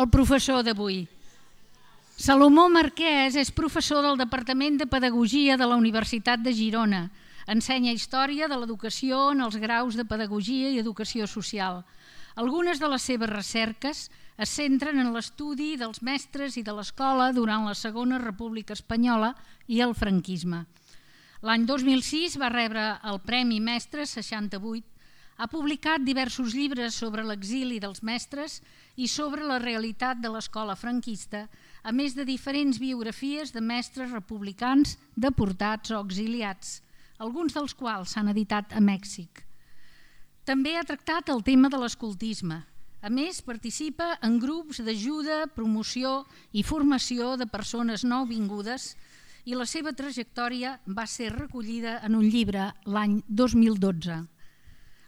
el professor d'avui. Salomó Marquès és professor del Departament de Pedagogia de la Universitat de Girona. Ensenya història de l'educació en els graus de Pedagogia i Educació Social. Algunes de les seves recerques es centren en l'estudi dels mestres i de l'escola durant la Segona República Espanyola i el franquisme. L'any 2006 va rebre el Premi Mestre 68. Ha publicat diversos llibres sobre l'exili dels mestres i sobre la realitat de l'escola franquista, a més de diferents biografies de mestres republicans deportats o exiliats, alguns dels quals s'han editat a Mèxic. També ha tractat el tema de l'escoltisme. A més, participa en grups d'ajuda, promoció i formació de persones nouvingudes i la seva trajectòria va ser recollida en un llibre l'any 2012.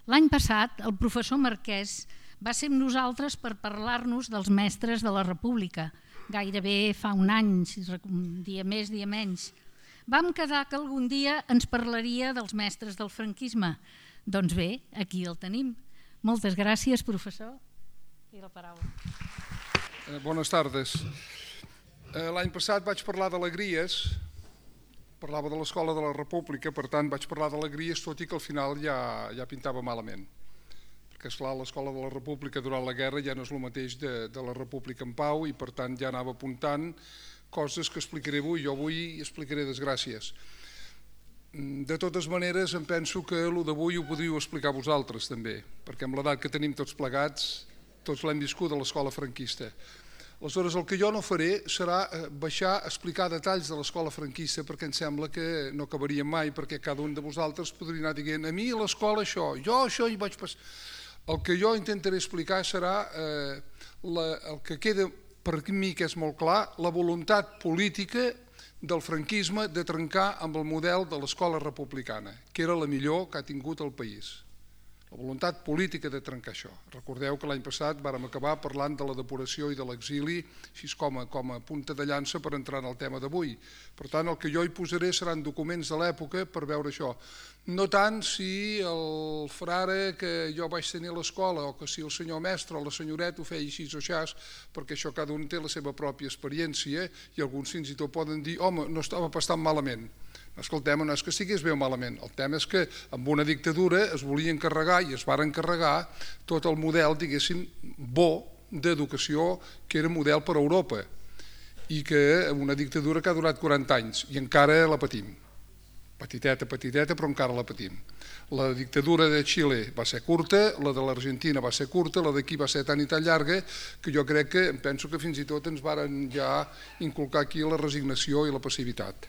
L'any passat, el professor Marquès va ser amb nosaltres per parlar-nos dels mestres de la República. Gairebé fa un any, dia més, dia menys. Vam quedar que algun dia ens parlaria dels mestres del franquisme. Doncs bé, aquí el tenim. Moltes gràcies, professor. I la paraula. Bones tardes. L'any passat vaig parlar d'alegries, parlava de l'Escola de la República, per tant vaig parlar d'alegries, tot i que al final ja pintava malament. Perquè esclar, l'Escola de la República durant la guerra ja no és el mateix de la República en pau i per tant ja anava apuntant coses que explicaré avui. Jo avui explicaré desgràcies. De totes maneres, em penso que el d'avui ho podríeu explicar vosaltres també, perquè amb l'edat que tenim tots plegats, tots l'hem viscut a l'escola franquista. Aleshores, el que jo no faré serà baixar a explicar detalls de l'escola franquista perquè em sembla que no acabaríem mai, perquè cada un de vosaltres podria anar dient a mi a l'escola això, jo això hi vaig passar. El que jo intentaré explicar serà el que queda per mi, que és molt clar, la voluntat política del franquisme de trencar amb el model de l'escola republicana, que era la millor que ha tingut el país. La voluntat política de trencar això. Recordeu que l'any passat vàrem acabar parlant de la depuració i de l'exili així com a punta de llança per entrar en el tema d'avui. Per tant, el que jo hi posaré seran documents de l'època per veure això. No tant si el frare que jo vaig tenir a l'escola o que si el senyor mestre o la senyoreta ho feia així o xas, perquè això cada un té la seva pròpia experiència i alguns fins i tot poden dir home, no estava bastant malament. És que el tema no és que estigués bé o malament, el tema és que amb una dictadura es volia encarregar i es van encarregar tot el model, diguéssim, bo d'educació que era model per a Europa i que una dictadura que ha durat 40 anys i encara la patim. Petiteta, però encara la patim. La dictadura de Xile va ser curta, la de l'Argentina va ser curta, la d'aquí va ser tan i tan llarga que jo crec que, penso que fins i tot ens varen ja inculcar aquí la resignació i la passivitat.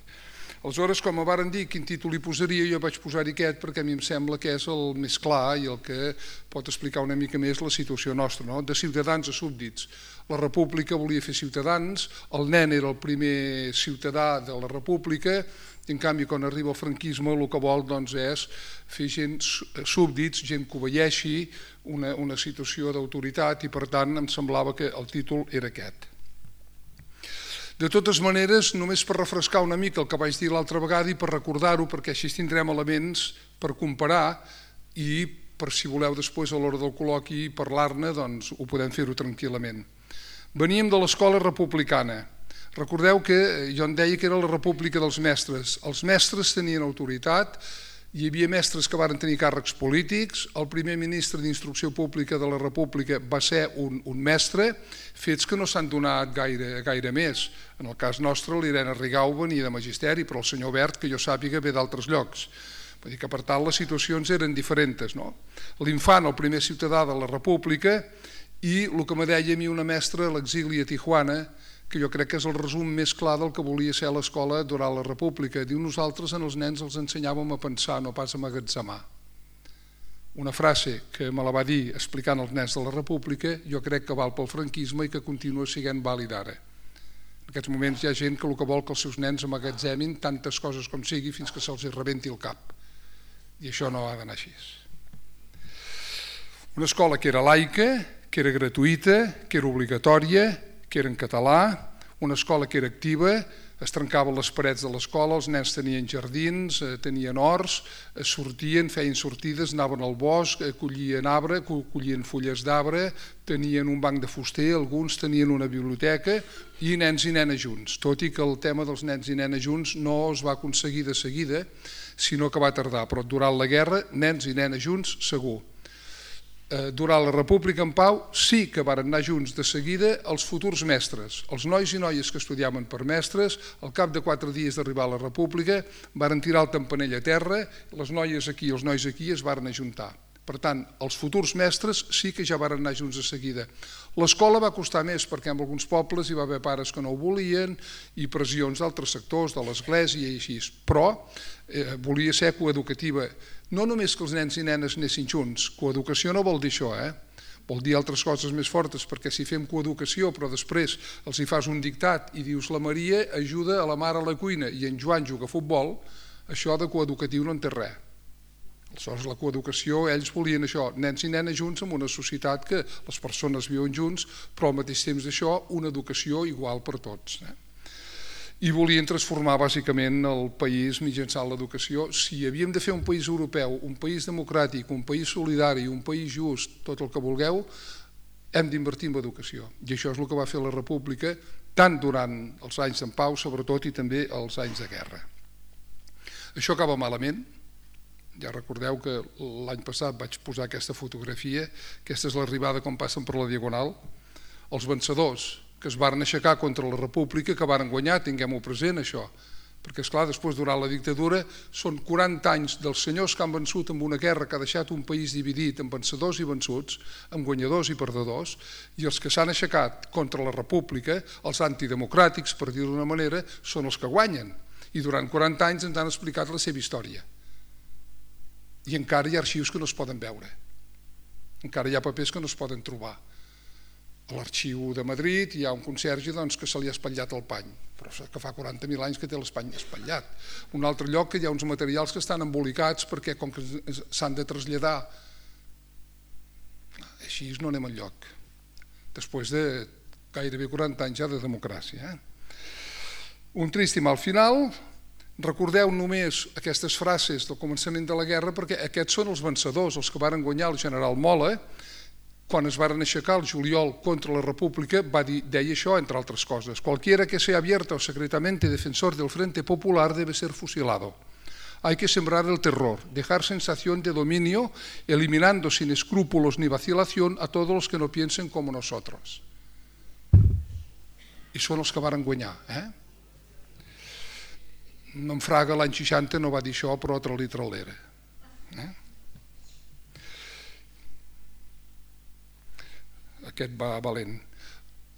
Aleshores, com em varen dir quin títol hi posaria, jo vaig posar-hi aquest perquè a mi em sembla que és el més clar i el que pot explicar una mica més la situació nostra, no? De ciutadans a súbdits. La república volia fer ciutadans, el nen era el primer ciutadà de la república, i en canvi quan arriba el franquisme el que vol és fer gent súbdits, gent que obeeixi, una situació d'autoritat i per tant em semblava que el títol era aquest. De totes maneres, només per refrescar una mica el que vaig dir l'altra vegada i per recordar-ho, perquè així tindrem elements per comparar i per si voleu després a l'hora del col·loqui parlar-ne, doncs ho podem fer-ho tranquil·lament. Veníem de l'escola republicana. Recordeu que jo en deia que era la república dels mestres. Els mestres tenien autoritat, hi havia mestres que varen tenir càrrecs polítics, el primer ministre d'Instrucció Pública de la República va ser un mestre, fets que no s'han donat gaire més. En el cas nostre, l'Irene Rigau venia de magisteri, però el senyor Bert, que jo sàpiga, ve d'altres llocs. Vull dir que, per tant, les situacions eren diferents. L'infant, el primer ciutadà de la República, i el que me deia a mi una mestra a l'exili a Tijuana, que jo crec que és el resum més clar del que volia ser l'escola durant la República. Diu, nosaltres als nens els ensenyàvem a pensar, no pas a magatzemar. Una frase que me la va dir explicant als nens de la República, jo crec que val pel franquisme i que continua sent vàlid ara. En aquests moments hi ha gent que el que vol que els seus nens emmagatzemin tantes coses com sigui fins que se'ls rebenti el cap. I això no ha d'anar així. Una escola que era laica, que era gratuïta, que era obligatòria, que era en català, una escola que era activa, Es trencaven les parets de l'escola, els nens tenien jardins, tenien horts, sortien, feien sortides, anaven al bosc, collien arbre, collien fulles d'arbre, tenien un banc de fuster, alguns tenien una biblioteca i nens i nenes junts, tot i que el tema dels nens i nenes junts no es va aconseguir de seguida, sinó que va tardar, però durant la guerra, nens i nenes junts, segur. Durant la República en Pau sí que varen anar junts de seguida els futurs mestres. Els nois i noies que estudiaven per mestres, al cap de 4 dies d'arribar a la República, varen tirar el campanell a terra, les noies aquí i els nois aquí es varen ajuntar. Per tant, els futurs mestres sí que ja varen anar junts de seguida. L'escola va costar més perquè en alguns pobles hi va haver pares que no ho volien i pressions d'altres sectors, de l'església i així, però volia ser coeducativa. No només que els nens i nenes anessin junts, coeducació no vol dir això, vol dir altres coses més fortes, perquè si fem coeducació però després els hi fas un dictat i dius la Maria ajuda a la mare a la cuina i en Joan juga a futbol, això de coeducatiu no en té res. Aleshores, la coeducació, ells volien això, nens i nenes junts en una societat que les persones viuen junts, però al mateix temps d'això una educació igual per tots. I volien transformar bàsicament el país mitjançant l'educació. Si havíem de fer un país europeu, un país democràtic, un país solidari, un país just, tot el que vulgueu, hem d'invertir en educació. I això és el que va fer la República, tant durant els anys en pau, sobretot, i també els anys de guerra. Això acaba malament. Ja recordeu que l'any passat vaig posar aquesta fotografia, aquesta és l'arribada quan passen per la Diagonal. Els vencedors que es varen aixecar contra la República, que varen guanyar, tinguem-ho present això, perquè esclar, després durant la dictadura són 40 anys dels senyors que han vençut en una guerra que ha deixat un país dividit en vencedors i vençuts, en guanyadors i perdedors, i els que s'han aixecat contra la República, els antidemocràtics, per dir-ho d'una manera, són els que guanyen, i durant 40 anys ens han explicat la seva història. I encara hi ha arxius que no es poden veure, encara hi ha papers que no es poden trobar. A l'arxiu de Madrid hi ha un conserge que se li ha espatllat el pany, però que fa 40.000 anys que té l'espany espatllat. Un altre lloc que hi ha uns materials que estan embolicats perquè com que s'han de traslladar, així no anem enlloc, després de gairebé 40 anys ja de democràcia. Un trist i mal final. Recordeu només aquestes frases del començament de la guerra perquè aquests són els vencedors, els que varen guanyar el general Mola. Quan es varen aixecar el juliol contra la República deia això, entre altres coses: cualquiera que sea abierta o secretamente defensor del Frente Popular debe ser fusilado. Hay que sembrar el terror, dejar sensación de dominio, eliminando sin escrúpulos ni vacilación a todos los que no piensen como nosotros. I són els que varen guanyar. En Fraga l'any 60 no va dir això, però trali-tralera. Aquest va valent.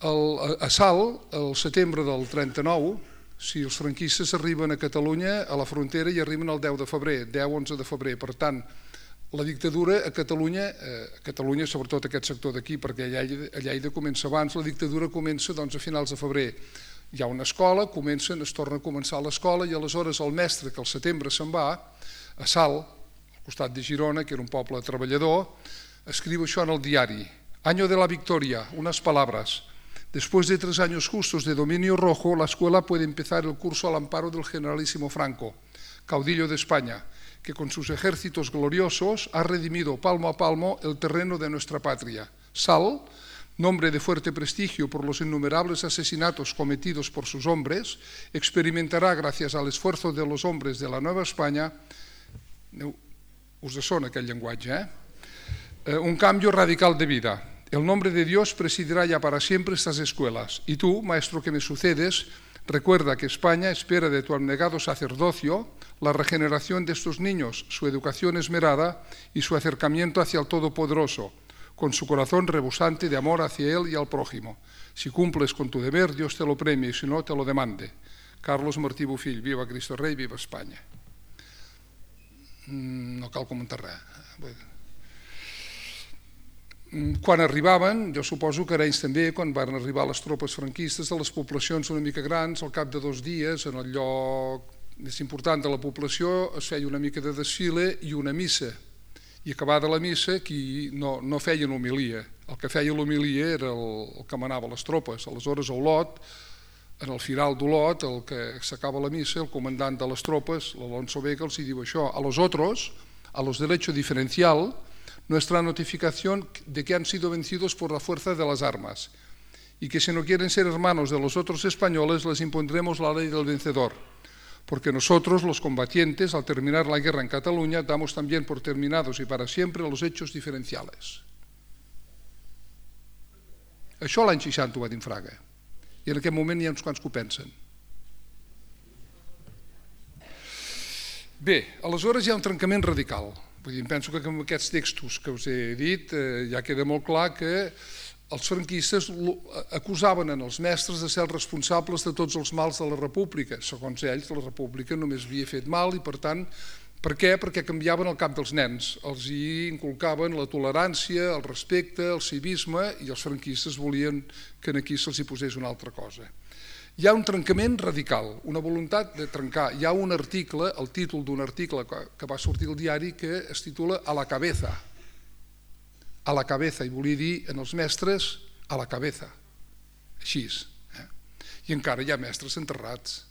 A Salt, el setembre del 39, si els franquistes arriben a Catalunya, a la frontera hi arriben el 10 de febrer, 10-11 de febrer. Per tant, la dictadura a Catalunya, sobretot aquest sector d'aquí, perquè a Lleida comença abans, la dictadura comença a finals de febrer. Hi ha una escola, es torna a començar l'escola i aleshores el mestre, que al setembre se'n va, a Salt, al costat de Girona, que era un poble treballador, escriu això en el diari: Año de la victoria, unas palabras. Después de 3 años justos de dominio rojo, la escuela puede empezar el curso al amparo del generalísimo Franco, caudillo de España, que con sus ejércitos gloriosos ha redimido palmo a palmo el terreno de nuestra patria. Salt, nombre de fuerte prestigio por los innumerables asesinatos cometidos por sus hombres, experimentará, gracias al esfuerzo de los hombres de la Nueva España, us sona aquell llenguatge, un cambio radical de vida. El nombre de Dios presidirá ya para siempre estas escuelas. Y tú, maestro que me sucedes, recuerda que España espera de tu abnegado sacerdocio la regeneración de estos niños, su educación esmerada y su acercamiento hacia el Todopoderoso, con su corazón rebosante de amor hacia Él y al prójimo. Si cumples con tu deber, Dios te lo premie, y si no, te lo demande. Carlos Martí Bofill, viva Cristo Rei, viva Espanya. No cal comentar res. Quan arribaven, jo suposo que Arenys també, quan van arribar les tropes franquistes de les poblacions una mica grans, al cap de 2 dies, en el lloc més important de la població, es feia una mica de desfile i una missa. I acabada la missa, qui no feien homilia. El que feia l'homilia era el que manava les tropes. Aleshores, a Olot, en el final d'Olot, el que s'acaba la missa, el comandant de les tropes, l'Alonso Vega, els diu això: a los otros, a los del hecho diferencial, nuestra notificación de que han sido vencidos por la fuerza de las armas y que si no quieren ser hermanos de los otros españoles les impondremos la ley del vencedor, porque nosotros, los combatientes, al terminar la guerra en Cataluña, damos también por terminados y para siempre los hechos diferenciales. Això l'any 60 ho va dir en Fraga, i en aquest moment hi ha uns quants que ho pensen. Bé, aleshores hi ha un trencament radical. Vull dir, penso que amb aquests textos que us he dit ja queda molt clar que els franquistes acusaven els mestres de ser els responsables de tots els mals de la república. Segons ells, la república només havia fet mal i, per tant, per què? Perquè canviaven el cap dels nens. Els hi inculcaven la tolerància, el respecte, el civisme, i els franquistes volien que aquí se'ls hi posés una altra cosa. Hi ha un trencament radical, una voluntat de trencar. Hi ha un article, el títol d'un article que va sortir al diari, que es titula A la cabeza. A la cabeza, i volia dir en els mestres a la cabeza. Així. I encara hi ha mestres enterrats,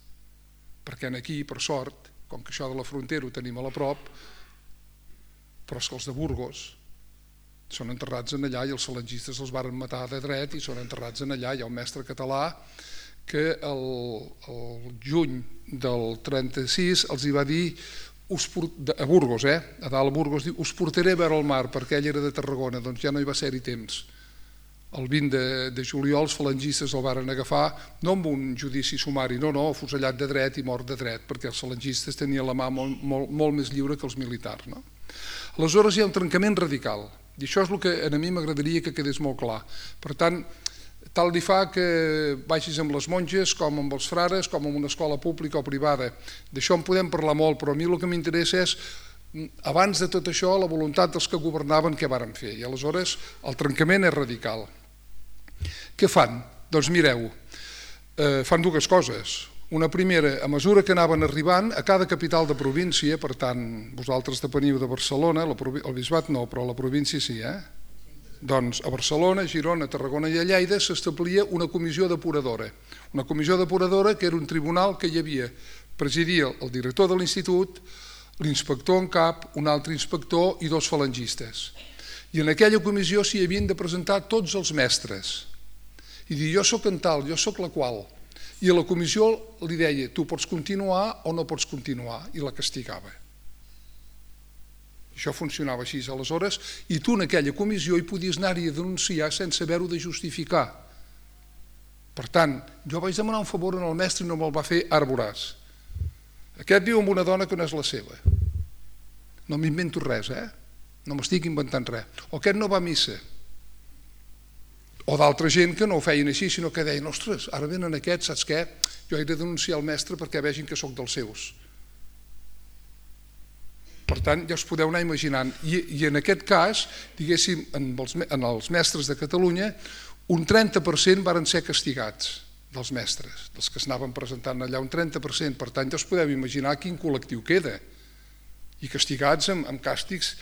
perquè aquí, per sort, com que això de la frontera ho tenim a la prop, però és que els de Burgos són enterrats en allà i els falangistes els varen matar de dret i són enterrats en allà. Hi ha un mestre català que el juny del 36 els hi va dir a Burgos, a dalt a Burgos, diu: us portaré a veure el mar, perquè ell era de Tarragona. Doncs ja no hi va ser-hi temps. El 20 de juliol els falangistes el varen agafar, no amb un judici sumari, no, afusellat de dret i mort de dret, perquè els falangistes tenien la mà molt més lliure que els militars. Aleshores hi ha un trencament radical, i això és el que a mi m'agradaria que quedés molt clar. Per tant, tal li fa que vagis amb les monges, com amb els frares, com en una escola pública o privada. D'això en podem parlar molt, però a mi el que m'interessa és, abans de tot això, la voluntat dels que governaven què varen fer. I aleshores el trencament és radical. Què fan? Doncs mireu, fan dues coses. Una primera, a mesura que anaven arribant a cada capital de província, per tant, vosaltres depeniu de Barcelona, el bisbat no, però la província sí, doncs a Barcelona, Girona, Tarragona i a Lleida s'establia una comissió depuradora. Una comissió depuradora que era un tribunal que hi havia, presidia el director de l'institut, l'inspector en cap, un altre inspector i dos falangistes. I en aquella comissió s'hi havien de presentar tots els mestres i dir: jo soc en tal, jo soc la qual. I a la comissió li deia: tu pots continuar o no pots continuar, i la castigava. Això funcionava així aleshores, i tu en aquella comissió hi podies anar-hi a denunciar sense haver-ho de justificar. Per tant, jo vaig demanar un favor al mestre i no me'l va fer, ara veuràs. Aquest viu amb una dona que no és la seva. No m'invento res, no m'estic inventant res. O aquest no va a missa. O d'altra gent que no ho feien així, sinó que deien: ostres, ara venen aquests, saps què? Jo he de denunciar el mestre perquè vegin que sóc dels seus. Per tant, ja us podeu anar imaginant. I en aquest cas, diguéssim, en els mestres de Catalunya, un 30% varen ser castigats dels mestres, dels que s'anaven presentant allà, un 30%. Per tant, ja us podeu imaginar quin col·lectiu queda. I castigats amb càstigs.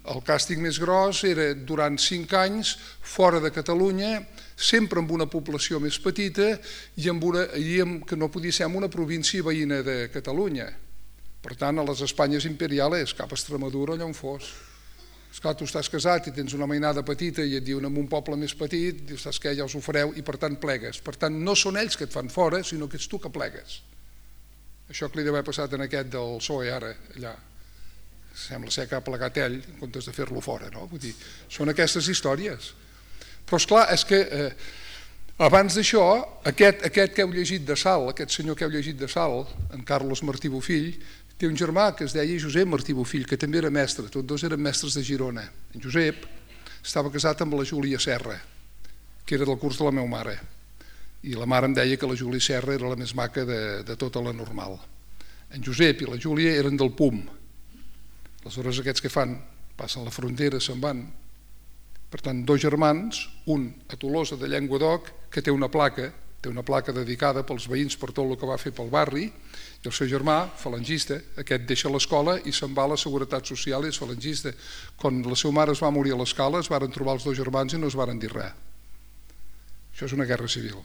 El càstig més gros era durant 5 anys fora de Catalunya, sempre amb una població més petita i que no podia ser en una província veïna de Catalunya. Per tant, a les Espanyes imperiales, cap a Extremadura, allà on fos. Esclar, tu estàs casat i tens una mainada petita i et diuen en un poble més petit, dius: saps què, ja us ho fareu, i per tant plegues. Per tant, no són ells que et fan fora, sinó que ets tu que plegues. Això que li deu haver passat en aquest del PSOE ara, allà. Sembla ser que ha plegat ell en comptes de fer-lo fora, no? Vull dir, són aquestes històries. Però esclar, és que abans d'això, aquest que heu llegit de Salt, aquest senyor que heu llegit de Salt, en Carlos Martí Bofill, té un germà que es deia Josep Martí Bofill, que també era mestre, tots dos eren mestres de Girona. En Josep estava casat amb la Júlia Serra, que era del curs de la meva mare, i la mare em deia que la Júlia Serra era la més maca de tota la normal. En Josep i la Júlia eren del PUM. Aleshores aquests que fan? Passen la frontera, se'n van. Per tant, dos germans, un a Tolosa de Llenguadoc, que té una placa dedicada pels veïns per tot el que va fer pel barri, i el seu germà, falangista, aquest deixa l'escola i se'n va a la Seguretat Social i és falangista. Quan la seva mare es va morir a l'escala, es varen trobar els dos germans i no es varen dir res. Això és una guerra civil.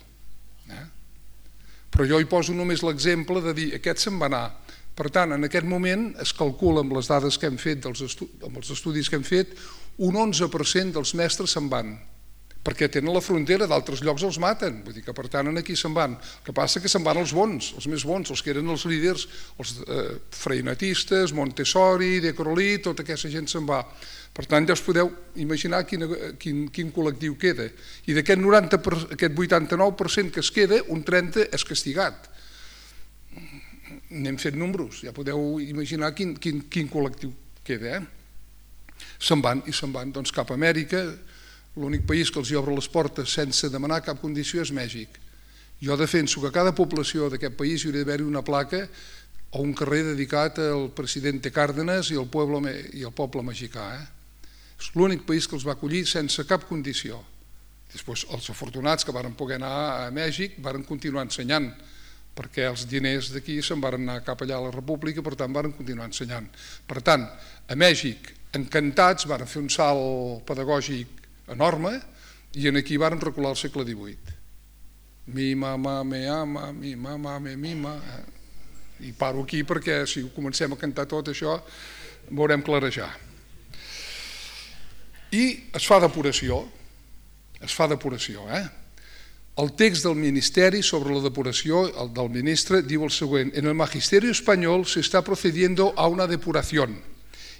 Però jo hi poso només l'exemple de dir aquest se'n va anar. Per tant, en aquest moment es calcula amb les dades que hem fet, amb els estudis que hem fet, un 11% dels mestres se'n van, perquè tenen la frontera, d'altres llocs els maten, vull dir que per tant aquí se'n van. El que passa que se'n van els bons, els més bons, els que eren els líders, els freinetistes, Montessori, De Crolí, tota aquesta gent se'n va. Per tant, ja us podeu imaginar quin col·lectiu queda. I d'aquest 89% que es queda, un 30% és castigat. N'hem fet números, ja podeu imaginar quin col·lectiu queda. Se'n van cap a Amèrica. L'únic país que els obre les portes sense demanar cap condició és Mèxic. Jo defenso que a cada població d'aquest país hi hauria d'haver una placa o un carrer dedicat al president Cárdenas i al poble mexicà. És l'únic país que els va acollir sense cap condició. Després, els afortunats que varen poder anar a Mèxic varen continuar ensenyant, perquè els diners d'aquí se'n varen anar cap allà a la República, per tant varen continuar ensenyant. Per tant, a Mèxic, encantats, varen fer un salt pedagògic enorme i aquí varen recular al segle XVIII. Mi mama me ama, mi mama me mima. I paro aquí perquè si comencem a cantar tot això veurem clarejar. I es fa depuració, El text del Ministeri sobre la depuració, el del ministre, diu el següent: en el magisterio español se está procediendo a una depuración.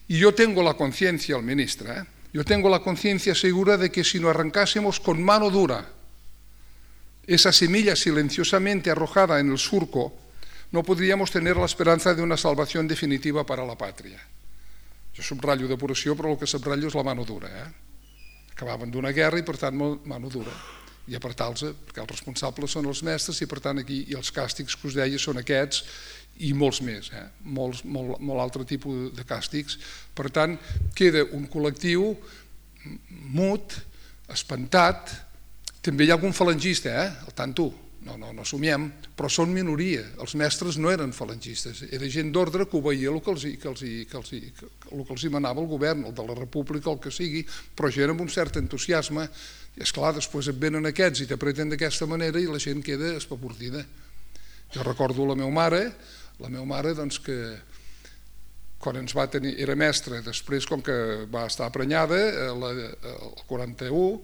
Y yo tengo la conciencia, el ministre, yo tengo la conciencia segura de que si no arrancásemos con mano dura esa semilla silenciosamente arrojada en el surco, no podríamos tener la esperanza de una salvación definitiva para la patria. Jo subratllo depuració, però el que subratllo és la mano dura. Acabaven d'una guerra i, per tant, mano dura. I apretar-los, perquè els responsables són els mestres i, per tant, aquí els càstigs que us deia són aquests i molts més, molt altre tipus de càstigs. Per tant, queda un col·lectiu mut, espantat. També hi ha algun falangista, al tanto, no somiem, però són minoria. Els mestres no eren falangistes, era gent d'ordre que obeïa el que els manava el govern, el de la república, el que sigui, però gent amb un cert entusiasme. I esclar, després et venen aquests i t'apreten d'aquesta manera i la gent queda espapordida. Jo recordo la meva mare que quan ens va tenir, era mestra, després com que va estar prenyada, el 41,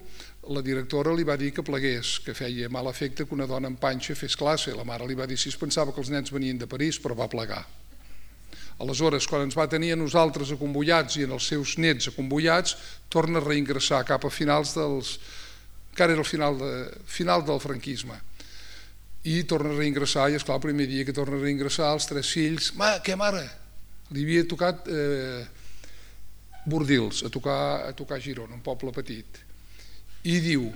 la directora li va dir que plegués, que feia mal efecte que una dona amb panxa fes classe. La mare li va dir si es pensava que els nens venien de París, però va plegar. Aleshores, quan ens va tenir a nosaltres acomboiats i en els seus nets acomboiats, torna a reingressar cap a finals dels... encara era el final del franquisme. I torna a reingressar, i esclar, el primer dia que torna a reingressar, els 3 fills, què mare? Li havia tocat Bordils, a tocar Girona, un poble petit. I diu,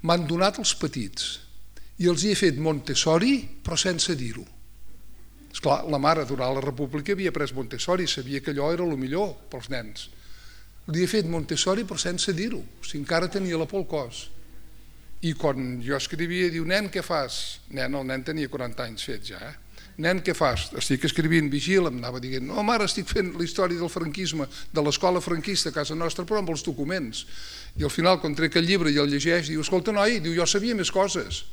m'han donat els petits i els hi he fet Montessori, però sense dir-ho. Esclar, la mare durant la república havia pres Montessori, sabia que allò era el millor pels nens. Li he fet Montessori però sense dir-ho, o sigui, encara tenia la por al cos. I quan jo escrivia, diu, nen, què fas? El nen tenia 40 anys fets ja, Nen, què fas? Estic escrivint, vigila, em anava dient, no, mare, estic fent la història del franquisme, de l'escola franquista a casa nostra, però amb els documents. I al final, quan trec el llibre i el llegeix, diu, escolta, noi, jo sabia més coses.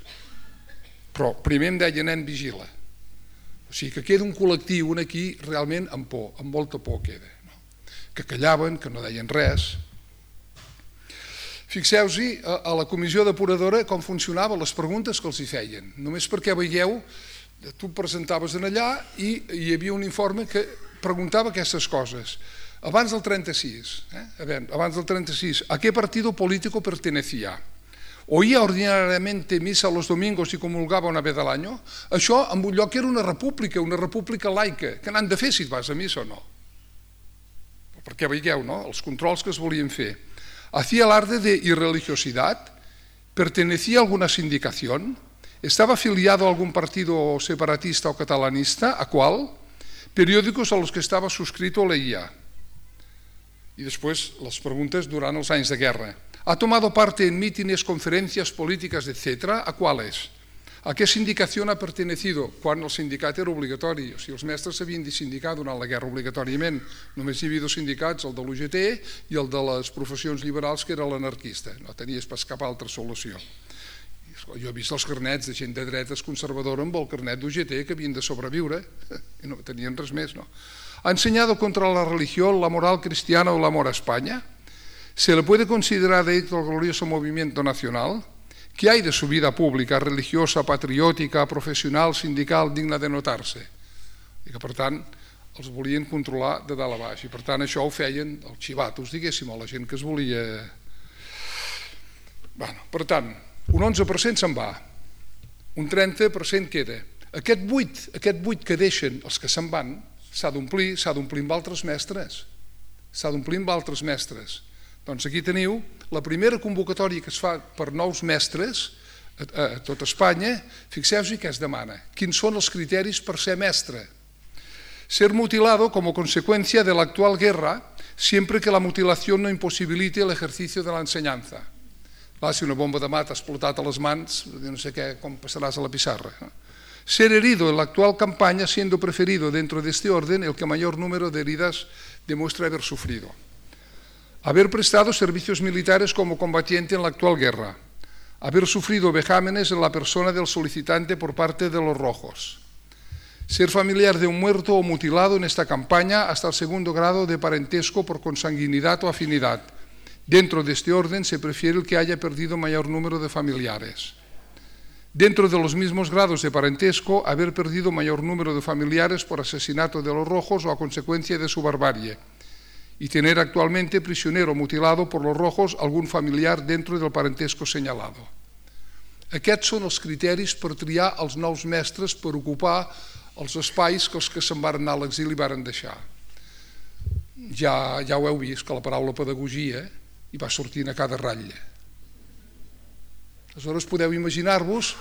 Però primer em deia, nen, vigila. O sigui que queda un col·lectiu aquí realment amb por, amb molta por queda. Que callaven, que no deien res. Fixeu-hi a la comissió depuradora com funcionava, les preguntes que els hi feien. Només perquè veieu, tu presentaves allà i hi havia un informe que preguntava aquestes coses. Abans del 36, ¿a qué partido político pertenecía? ¿Oía ordinariamente misa los domingos y comulgaba una vez al año? Això en un lloc era una república laica, que n'han de fer si et vas a missa o no. Perquè veieu, no?, els controls que es volien fer. ¿Hacía alarde de irreligiosidad? ¿Pertenecía a alguna sindicación? ¿Estaba afiliado a algún partido separatista o catalanista? ¿A cuál? Periódicos a los que estaba suscrito leía. Y después las preguntas durant els anys de guerra. ¿Ha tomado parte en mítines, conferencias políticas, etcétera? ¿A cuáles? ¿A qué sindicación ha pertenecido? Quan el sindicat era obligatori. O sigui, els mestres s'havien de sindicar durant la guerra obligatòriament. Només hi havia 2 sindicats, el de l'UGT i el de les professions liberals, que era l'anarquista. No tenies pas cap altra solució. Jo he vist els carnets de gent de dretes conservadora amb el carnet d'UGT que havien de sobreviure i no tenien res més, no? ¿Ha enseñado contra la religión, la moral cristiana o el amor a España? ¿Se le puede considerar adicto al glorioso movimiento nacional? ¿Qué hay de su vida pública, religiosa, patriòtica, professional, sindical, digna de notar-se? I que, per tant, els volien controlar de dalt a baix. I, per tant, això ho feien els xivatos, diguéssim, o la gent que es volia... Per tant, un 11% se'n va, un 30% queda. Aquest 8 que deixen els que se'n van s'ha d'omplir amb altres mestres. S'ha d'omplir amb altres mestres. Doncs aquí teniu la primera convocatòria que es fa per nous mestres a tot Espanya. Fixeu-vos què es demana. Quins són els criteris per ser mestre? Ser mutilado como consecuencia de la actual guerra siempre que la mutilación no imposibilite el ejercicio de la enseñanza. Clar, si una bomba de mat ha explotat a les mans, no sé com passaràs a la pissarra. Ser herido en la actual campaña siendo preferido dentro de este orden el que mayor número de heridas demuestra haber sufrido. Haber prestado servicios militares como combatiente en la actual guerra. Haber sufrido vejámenes en la persona del solicitante por parte de los rojos. Ser familiar de un muerto o mutilado en esta campaña hasta el segundo grado de parentesco por consanguinidad o afinidad. Dentro de este orden se prefiere el que haya perdido mayor número de familiares. Dentro de los mismos grados de parentesco, haber perdido mayor número de familiares por asesinato de los rojos o a consecuencia de su barbarie, y tener actualmente prisionero mutilado por los rojos algún familiar dentro del parentesco señalado. Aquests són els criteris per triar els nous mestres per ocupar els espais que els que se'n van anar a l'exili varen deixar. Ja ho heu vist, que la paraula pedagogia hi va sortint a cada ratlla. Aleshores podeu imaginar-vos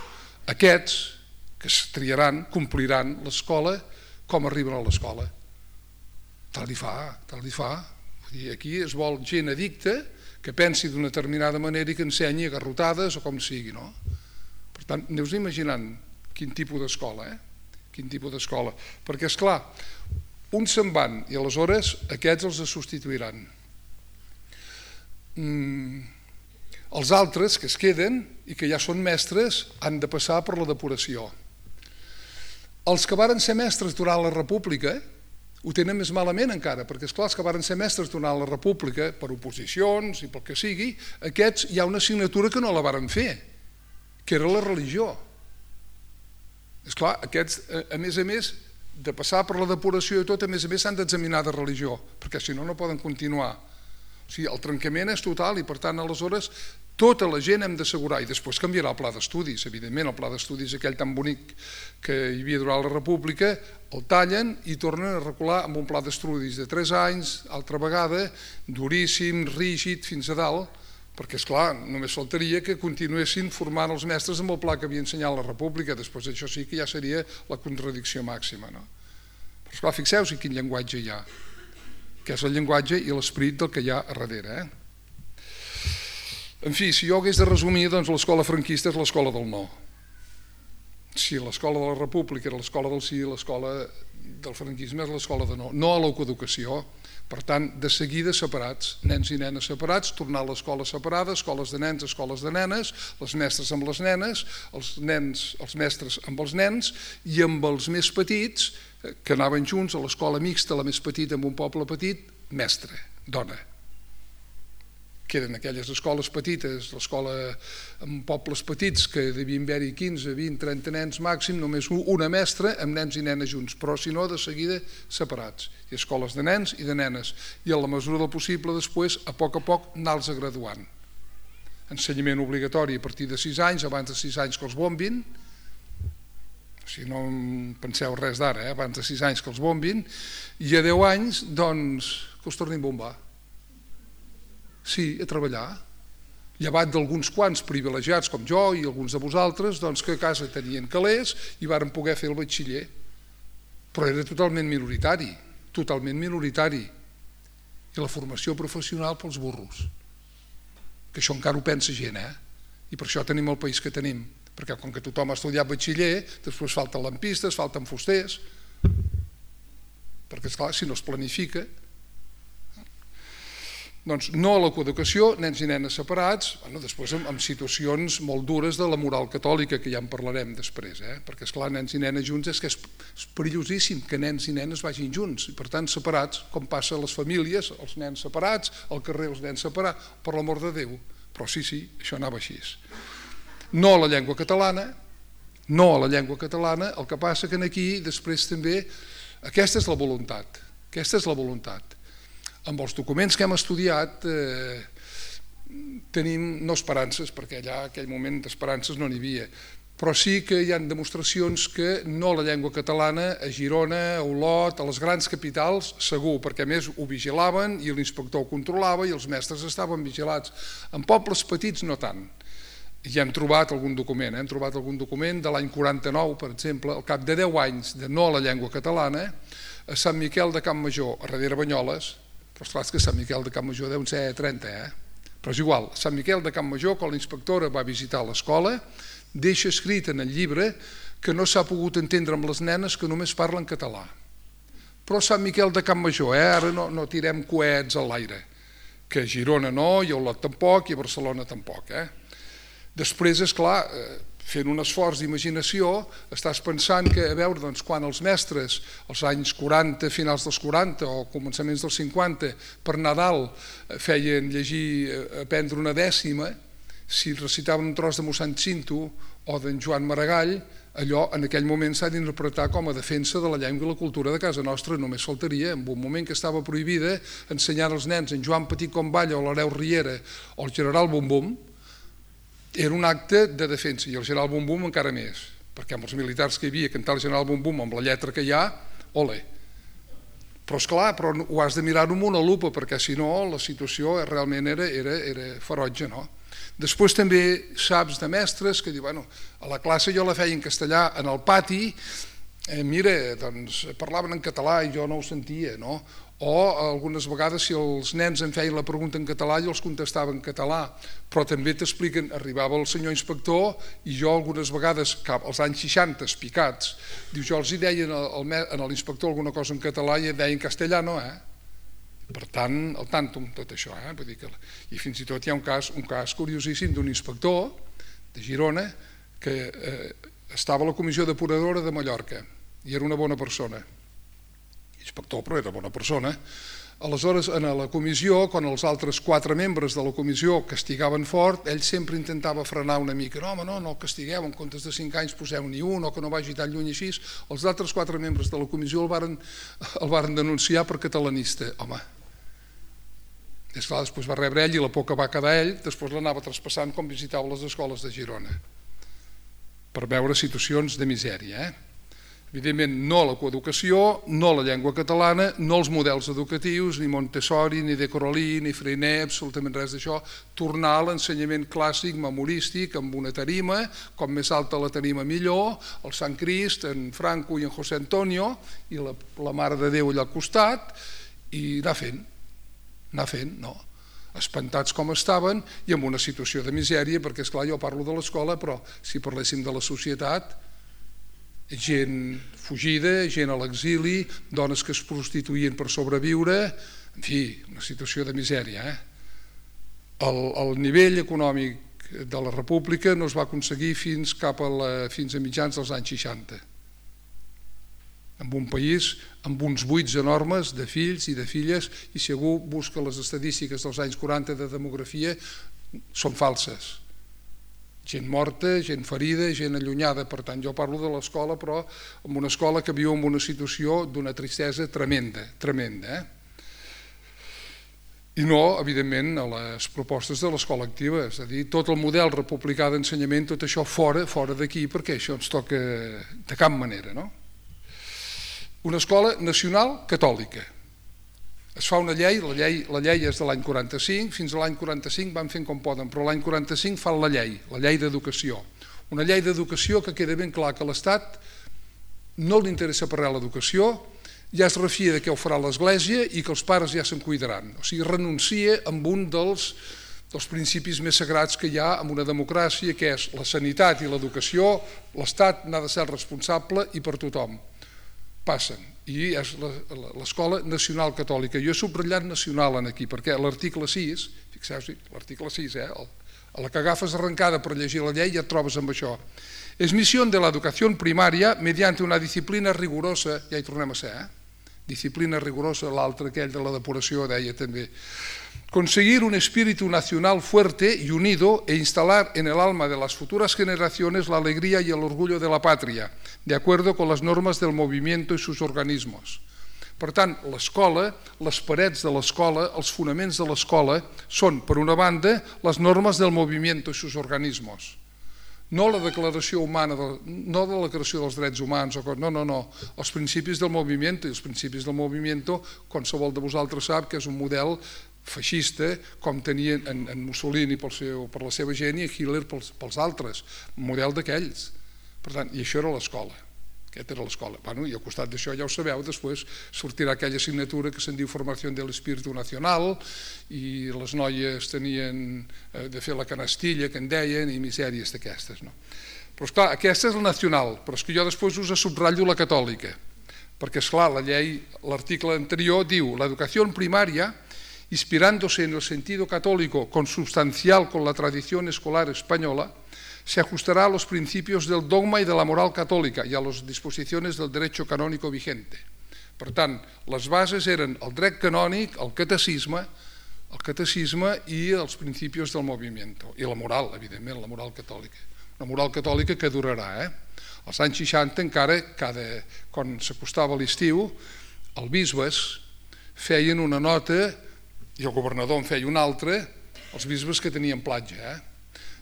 aquests que es triaran, compliran l'escola, com arriben a l'escola. Tal li fa. Aquí es vol gent addicta que pensi d'una determinada manera i que ensenyi a garrotades o com sigui, no? Per tant, aneu-vos imaginant quin tipus d'escola, quin tipus d'escola. Perquè, esclar, uns se'n van i aleshores aquests els substituiran. Els altres que es queden i que ja són mestres han de passar per la depuració. Els que varen ser mestres durant la República ho tenen més malament encara, perquè esclar, els que varen ser mestres durant la República, per oposicions i pel que sigui, aquests hi ha una assignatura que no la varen fer, que era la religió. Esclar, aquests, a més, de passar per la depuració i tot, a més s'han d'examinar de religió, perquè si no, no poden continuar. O sigui, el trencament és total i, per tant, aleshores, tota la gent hem d'assegurar, i després canviarà el pla d'estudis, evidentment, el pla d'estudis aquell tan bonic que hi havia durant la República, el tallen i tornen a recular amb un pla d'estudis de 3 anys, altra vegada, duríssim, rígid, fins a dalt, perquè, esclar, només faltaria que continuessin formant els mestres amb el pla que havia ensenyat la República, després això sí que ja seria la contradicció màxima, no? Però, esclar, fixeu-vos quin llenguatge hi ha, que és el llenguatge i l'esperit del que hi ha a darrere. En fi, si jo hagués de resumir, doncs l'escola franquista és l'escola del no. Si l'escola de la República era l'escola del sí, l'escola del franquisme és l'escola de no. No a la coeducació, per tant, de seguida separats, nens i nenes separats, tornar a l'escola separada, escoles de nens, escoles de nenes, les mestres amb les nenes, els mestres amb els nens, i amb els més petits, que anaven junts a l'escola mixta, la més petita amb un poble petit, mestre, dona. Queden aquelles escoles petites, l'escola amb pobles petits, que devien haver-hi 15, 20, 30 nens màxim, només una mestra amb nens i nenes junts, però si no, de seguida separats. I escoles de nens i de nenes. I a la mesura del possible, després, a poc, anar-los graduant. Ensenyament obligatori a partir de 6 anys, abans de 6 anys que els bombin, si no en penseu res d'ara, abans de 6 anys que els bombin, i a 10 anys, doncs, que els tornin a bombar. Sí, a treballar. Llevat d'alguns quants privilegiats com jo i alguns de vosaltres, doncs que a casa tenien calés i varen poder fer el batxiller. Però era totalment minoritari, totalment minoritari. I la formació professional pels burros. Que això encara ho pensa gent, I per això tenim el país que tenim. Perquè com que tothom ha estudiat batxiller, després falten lampistes, falten fusters, perquè, esclar, si no es planifica... Doncs no a la coeducació, nens i nenes separats, després amb situacions molt dures de la moral catòlica, que ja en parlarem després, perquè esclar, nens i nenes junts és que és perillosíssim que nens i nenes vagin junts, i per tant separats, com passa a les famílies, els nens separats, al carrer els nens separats, per l'amor de Déu. Però sí, això anava així. No a la llengua catalana, el que passa que aquí després també, aquesta és la voluntat, amb els documents que hem estudiat tenim no esperances, perquè allà en aquell moment d'esperances no n'hi havia, però sí que hi ha demostracions que no la llengua catalana a Girona, a Olot, a les grans capitals, segur, perquè a més ho vigilaven i l'inspector ho controlava i els mestres estaven vigilats. En pobles petits no tant. Ja hem trobat algun document, de l'any 49, per exemple, al cap de 10 anys de no a la llengua catalana, a Sant Miquel de Campmajor, a darrere Banyoles, però esclar, és que Sant Miquel de Campmajor deuen ser 30, però és igual, Sant Miquel de Campmajor, quan la inspectora va visitar l'escola, deixa escrit en el llibre que no s'ha pogut entendre amb les nenes que només parlen català. Però Sant Miquel de Campmajor, ara no tirem coets a l'aire, que a Girona no, i a Olot tampoc, i a Barcelona tampoc. Després, esclar, fent un esforç d'imaginació, estàs pensant que, a veure, quan els mestres, als anys 40, finals dels 40 o començaments dels 50, per Nadal feien llegir, aprendre una dècima, si recitaven un tros de mossèn Cinto o d'en Joan Maragall, allò en aquell moment s'ha d'interpretar com a defensa de la llengua i la cultura de casa nostra, només faltaria, en un moment que estava prohibida ensenyar als nens en Joan Petit Comballa o l'Hereu Riera o el general Bumbum, era un acte de defensa, i el general Bumbum encara més, perquè amb els militars que hi havia cantar el general Bumbum amb la lletra que hi ha, ole. Però esclar, ho has de mirar-ho amb una lupa, perquè si no la situació realment era ferotge, no? Després també saps de mestres que diuen, a la classe jo la feia en castellà, en el pati, mira, doncs parlaven en català i jo no ho sentia, no? O algunes vegades si els nens em feien la pregunta en català jo els contestava en català, però també t'expliquen, arribava el senyor inspector i jo algunes vegades, als anys 60, espicats, diu, jo els hi deia a l'inspector alguna cosa en català i deia en castellano, per tant, al tanto amb tot això, vull dir que... I fins i tot hi ha un cas curiosíssim d'un inspector de Girona que estava a la comissió depuradora de Mallorca i era una bona persona, inspector però era bona persona. Aleshores, en la comissió, quan els altres 4 membres de la comissió castigaven fort, ell sempre intentava frenar una mica. No, home, no el castigueu, en comptes de 5 anys poseu-n'hi un, o que no vagi tan lluny així. Els altres 4 membres de la comissió el varen denunciar per catalanista. Home, després va rebre ell i la por que va quedar ell, després l'anava traspassant com visitava les escoles de Girona, per veure situacions de misèria, Evidentment, no a la coeducació, no a la llengua catalana, no als models educatius, ni Montessori, ni De Coralí, ni Freinet, absolutament res d'això. Tornar a l'ensenyament clàssic, memorístic, amb una tarima, com més alta la tarima millor, el Sant Crist, en Franco i en José Antonio, i la Mare de Déu allà al costat, i anar fent, no? Espantats com estaven i amb una situació de misèria, perquè esclar, jo parlo de l'escola, però si parléssim de la societat, gent fugida, gent a l'exili, dones que es prostituïen per sobreviure, en fi, una situació de misèria. El nivell econòmic de la república no es va aconseguir fins a mitjans dels anys 60, en un país amb uns buits enormes de fills i de filles, i si algú busca les estadístiques dels anys 40 de demografia, són falses. Gent morta, gent ferida, gent allunyada. Per tant, jo parlo de l'escola, però en una escola que viu en una situació d'una tristesa tremenda, I no, evidentment, a les propostes de l'escola activa, és a dir, tot el model republicà d'ensenyament, tot això fora d'aquí, perquè això ens toca de cap manera, no? Una escola nacional catòlica. Es fa una llei, la llei és de l'any 45, fins a l'any 45 van fent com poden, però l'any 45 fan la llei d'educació. Una llei d'educació que queda ben clar que a l'Estat no li interessa per res l'educació, ja es refia de què ho farà l'Església i que els pares ja se'n cuidaran. O sigui, renuncia amb un dels principis més sagrats que hi ha en una democràcia, que és la sanitat i l'educació, l'Estat n'ha de ser responsable i per tothom. Passen. i és l'Escola Nacional Catòlica. Jo he subratllat nacional aquí, perquè l'article 6, fixeu-vos, l'article 6, a la que agafes arrencada per llegir la llei ja et trobes amb això. Es misión de la educación primaria mediante una disciplina rigurosa, ja hi tornem a ser, disciplina rigurosa, l'altre aquell de la depuració deia també, conseguir un espíritu nacional fuerte y unido e instalar en el alma de las futuras generaciones la alegría y el orgullo de la patria, de acuerdo con las normas del movimiento y sus organismos. Per tant, l'escola, les parets de l'escola, els fonaments de l'escola són, per una banda, les normes del moviment i sus organismes. No la declaració humana, no de la declaració dels drets humans, no, els principis del moviment, i els principis del moviment, qualsevol de vosaltres sap que és un model feixista, com tenien en Mussolini per la seva gent i Hitler pels altres, un model d'aquells. Per tant, i això era l'escola. Aquesta era l'escola. I al costat d'això, ja ho sabeu, després sortirà aquella assignatura que se'n diu Formació de l'Espíritu Nacional i les noies tenien de fer la canastilla, que en deien, i misèries d'aquestes. Però esclar, aquesta és la nacional, però és que jo després us subratllo la catòlica, perquè esclar, la llei, l'article anterior diu l'educació primària, inspirándose en el sentido católico consubstancial con la tradición escolar española, se ajustará a los principios del dogma y de la moral católica y a las disposiciones del derecho canónico vigente. Per tant, les bases eren el dret canònic, el catecisme i els principis del moviment. I la moral, evidentment, la moral catòlica. Una moral catòlica que durarà. Als anys 60 encara, quan s'acostava l'estiu, els bisbes feien una nota i el governador en feia una altra, els bisbes que tenien platja,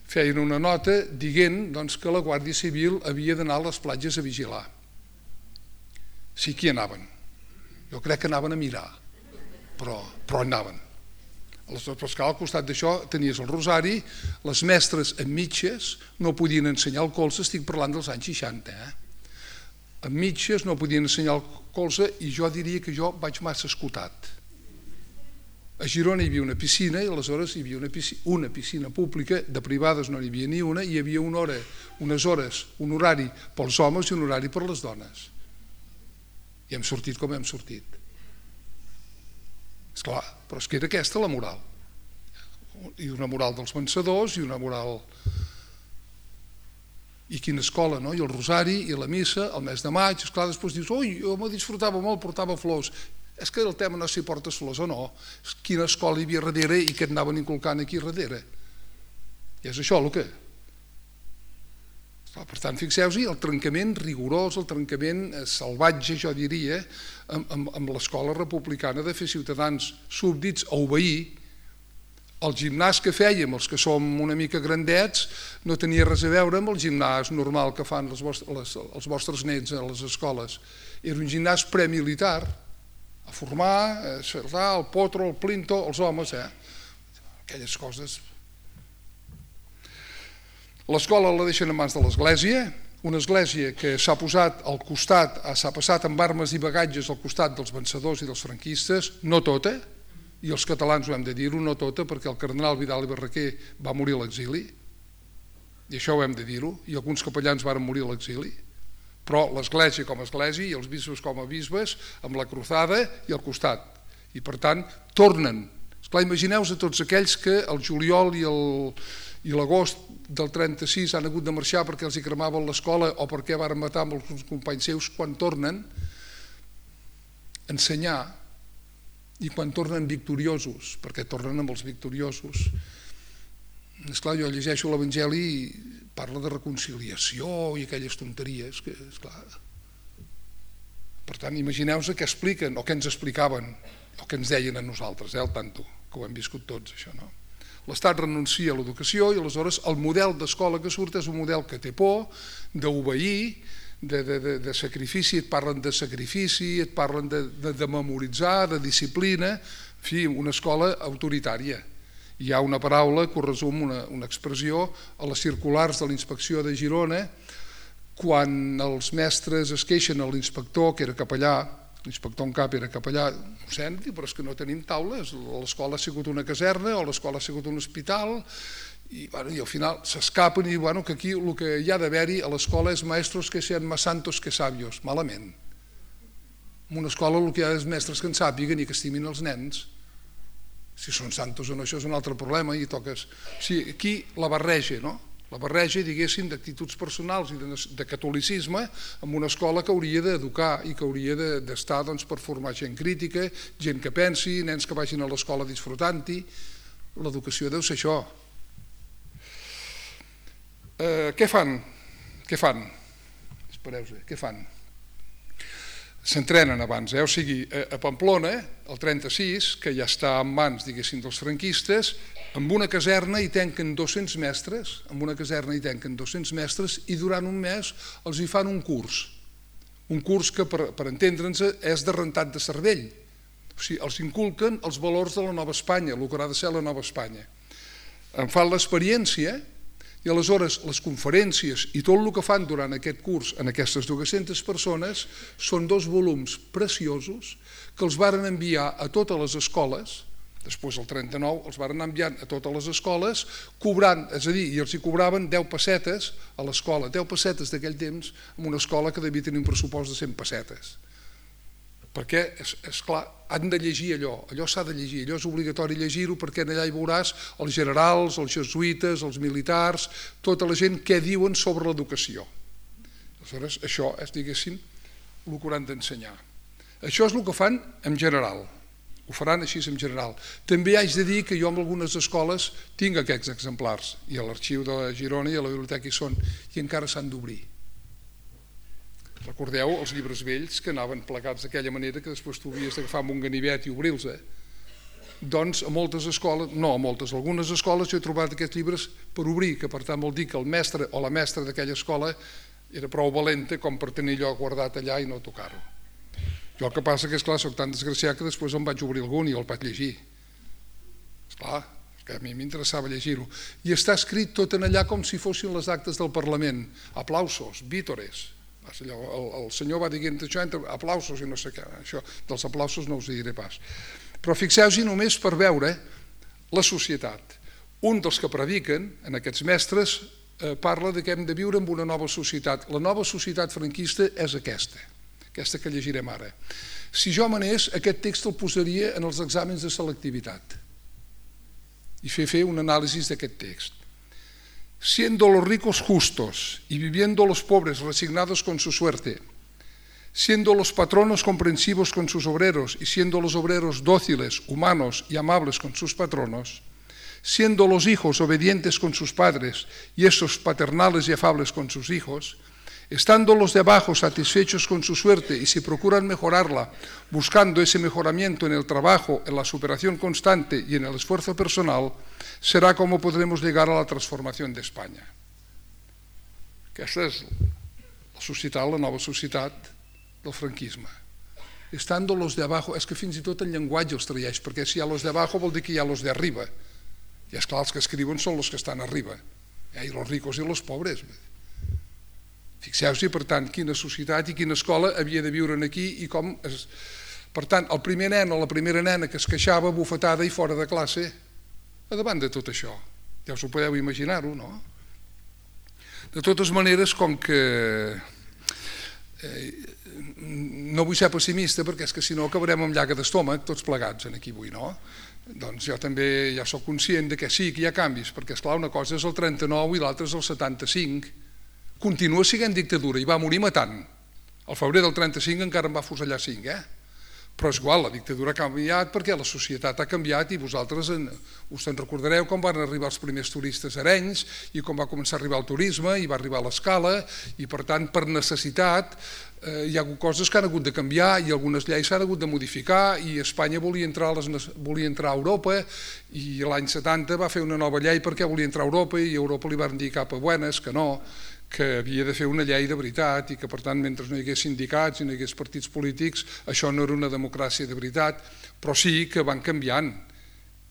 feien una nota dient que la Guàrdia Civil havia d'anar a les platges a vigilar. Sí que hi anaven. Jo crec que anaven a mirar, però anaven. Aleshores, al costat d'això tenies el rosari, les mestres amb mitges no podien ensenyar el colze, estic parlant dels anys 60, amb mitges no podien ensenyar el colze i jo diria que jo vaig massa escotat. A Girona hi havia una piscina i aleshores hi havia una piscina pública, de privades no n'hi havia ni una, i hi havia unes hores, un horari pels homes i un horari per les dones. I hem sortit com hem sortit. Esclar, però és que era aquesta la moral. I una moral dels vencedors i una moral... I quina escola, no? I el rosari i la missa, el mes de maig, esclar, després dius, ui, jo me disfrutava molt, portava flors. És que el tema no és si portes flors o no, és quina escola hi havia darrere i què et anaven inculcant aquí darrere. I és això el que... Per tant, fixeu-vos, el trencament rigorós, el trencament salvatge, jo diria, amb l'escola republicana de fer ciutadans súbdits a obeir. El gimnàs que fèiem, els que som una mica grandets, no tenia res a veure amb el gimnàs normal que fan els vostres nens a les escoles. Era un gimnàs premilitar, a formar, el potro, el plinto, els homes, aquelles coses. L'escola la deixen en mans de l'església, una església que s'ha posat al costat, s'ha passat amb armes i bagatges al costat dels vencedors i dels franquistes, no tota, i els catalans ho hem de dir-ho, no tota, perquè el cardenal Vidal i Barraquer va morir a l'exili, i això ho hem de dir-ho, i alguns capellans van morir a l'exili, però l'església com a església i els bisbes com a bisbes, amb la cruzada i al costat. I per tant, tornen. Esclar, imagineu-vos a tots aquells que el juliol i l'agost del 36 han hagut de marxar perquè els hi cremaven l'escola o perquè van matar amb els companys seus, quan tornen a ensenyar i quan tornen victoriosos, perquè tornen amb els victoriosos. Esclar, jo llegeixo l'Evangeli i parla de reconciliació i aquelles tonteries que, esclar... Per tant, imagineu-vos què expliquen o què ens explicaven o què ens deien a nosaltres, al tanto, que ho hem viscut tots, això, no? L'Estat renuncia a l'educació i aleshores el model d'escola que surt és un model que té por, d'obeir, de sacrifici, et parlen de sacrifici, et parlen de memoritzar, de disciplina, en fi, una escola autoritària. Hi ha una paraula que ho resum, una expressió, a les circulars de l'inspecció de Girona, quan els mestres es queixen a l'inspector, que era capellà, l'inspector en cap era capellà, ho senti, però és que no tenim taules, l'escola ha sigut una caserna o l'escola ha sigut un hospital, i al final s'escapen i diuen que aquí el que hi ha d'haver-hi a l'escola és maestros que sean más santos que sabios, malament. En una escola el que hi ha és mestres que en sàpiguen i que estimin els nens. Si són santos o no, això és un altre problema i toques... O sigui, aquí la barreja, no? La barreja, diguéssim, d'actituds personals i de catolicisme en una escola que hauria d'educar i que hauria d'estar per formar gent crítica, gent que pensi, nens que vagin a l'escola disfrutant-hi. L'educació deu ser això. Què fan? Espereu-se, què fan? S'entrenen abans, o sigui, a Pamplona, el 36, que ja està en mans, diguéssim, dels franquistes, amb una caserna hi tanquen 200 mestres, i durant un mes els hi fan un curs que, per entendre'ns, és de rentat de cervell. O sigui, els inculquen els valors de la Nova Espanya, el que haurà de ser la Nova Espanya. En fan l'experiència i aleshores les conferències i tot el que fan durant aquest curs en aquestes 200 persones són 2 volums preciosos que els varen enviar a totes les escoles. Després, el 39, els varen enviar a totes les escoles, cobrant, és a dir, i els hi cobraven 10 pessetes a l'escola, 10 pessetes d'aquell temps, en una escola que devia tenir un pressupost de 100 pessetes. Perquè, esclar, han de llegir allò s'ha de llegir, allò és obligatori llegir-ho perquè allà hi veuràs els generals, els jesuïtes, els militars, tota la gent què diuen sobre l'educació. Aleshores, això és, diguéssim, el que hauran d'ensenyar. Això és el que fan en general. Ho faran així en general. També haig de dir que jo en algunes escoles tinc aquests exemplars, i a l'arxiu de Girona i a la biblioteca hi són, i encara s'han d'obrir. Recordeu els llibres vells que anaven plegats d'aquella manera que després tu havies d'agafar amb un ganivet i obrir-los. Doncs a moltes escoles, no a moltes, a algunes escoles jo he trobat aquests llibres per obrir, que per tant vol dir que el mestre o la mestra d'aquella escola era prou valenta com per tenir allò guardat allà i no tocar-ho. Jo el que passa que, esclar, soc tan desgraciat que després em vaig obrir algun i el vaig llegir. Esclar, que a mi m'interessava llegir-ho. I està escrit tot en allà com si fossin les actes del Parlament. Aplausos, vítores. El senyor va dient això entre aplausos i no sé què. Això dels aplausos no us diré pas. Però fixeu-vos només per veure la societat. Un dels que prediquen, en aquests mestres, parla que hem de viure en una nova societat. La nova societat franquista és aquesta que llegirem ara. Si jo m'anés, aquest text el posaria en els exàmens de selectivitat i fer un anàlisi d'aquest text. Siendo los ricos justos y viviendo los pobres resignados con su suerte, siendo los patronos comprensivos con sus obreros y siendo los obreros dóciles, humanos y amables con sus patronos, siendo los hijos obedientes con sus padres y esos paternales y afables con sus hijos, estando los de abajo satisfechos con su suerte y si procuran mejorarla, buscando ese mejoramiento en el trabajo, en la superación constante y en el esfuerzo personal, será como podremos llegar a la transformación de España. Aquesta és la societat, la nova societat del franquisme. Estando los de abajo, és que fins i tot el llenguatge els traeix, perquè si hi ha los de abajo vol dir que hi ha los de arriba. I és clar, els que escriuen són els que estan arriba. I los ricos i los pobres. Fixeu-vos, per tant, quina societat i quina escola havia de viure aquí i com... Per tant, el primer nen o la primera nena que es queixava bufetada i fora de classe, a davant de tot això. Ja us ho podeu imaginar-ho, no? De totes maneres, com que... No vull ser pessimista perquè és que si no acabarem amb llaga d'estómac tots plegats aquí avui, no? Doncs jo també ja soc conscient que sí, que hi ha canvis, perquè esclar, una cosa és el 39 i l'altra és el 75. Continua sent dictadura i va morir matant. Al febrer del 35 encara en va fusellar 5, Però és igual, la dictadura ha canviat perquè la societat ha canviat i vosaltres us en recordareu com van arribar els primers turistes a Arenys i com va començar a arribar el turisme i va arribar l'escala i per tant per necessitat hi ha hagut coses que han hagut de canviar i algunes lleis s'han hagut de modificar i Espanya volia entrar a Europa i l'any 70 va fer una nova llei perquè volia entrar a Europa i a Europa li van dir cap a buenas que no, que havia de fer una llei de veritat i que per tant mentre no hi hagués sindicats i no hi hagués partits polítics això no era una democràcia de veritat, però sí que van canviant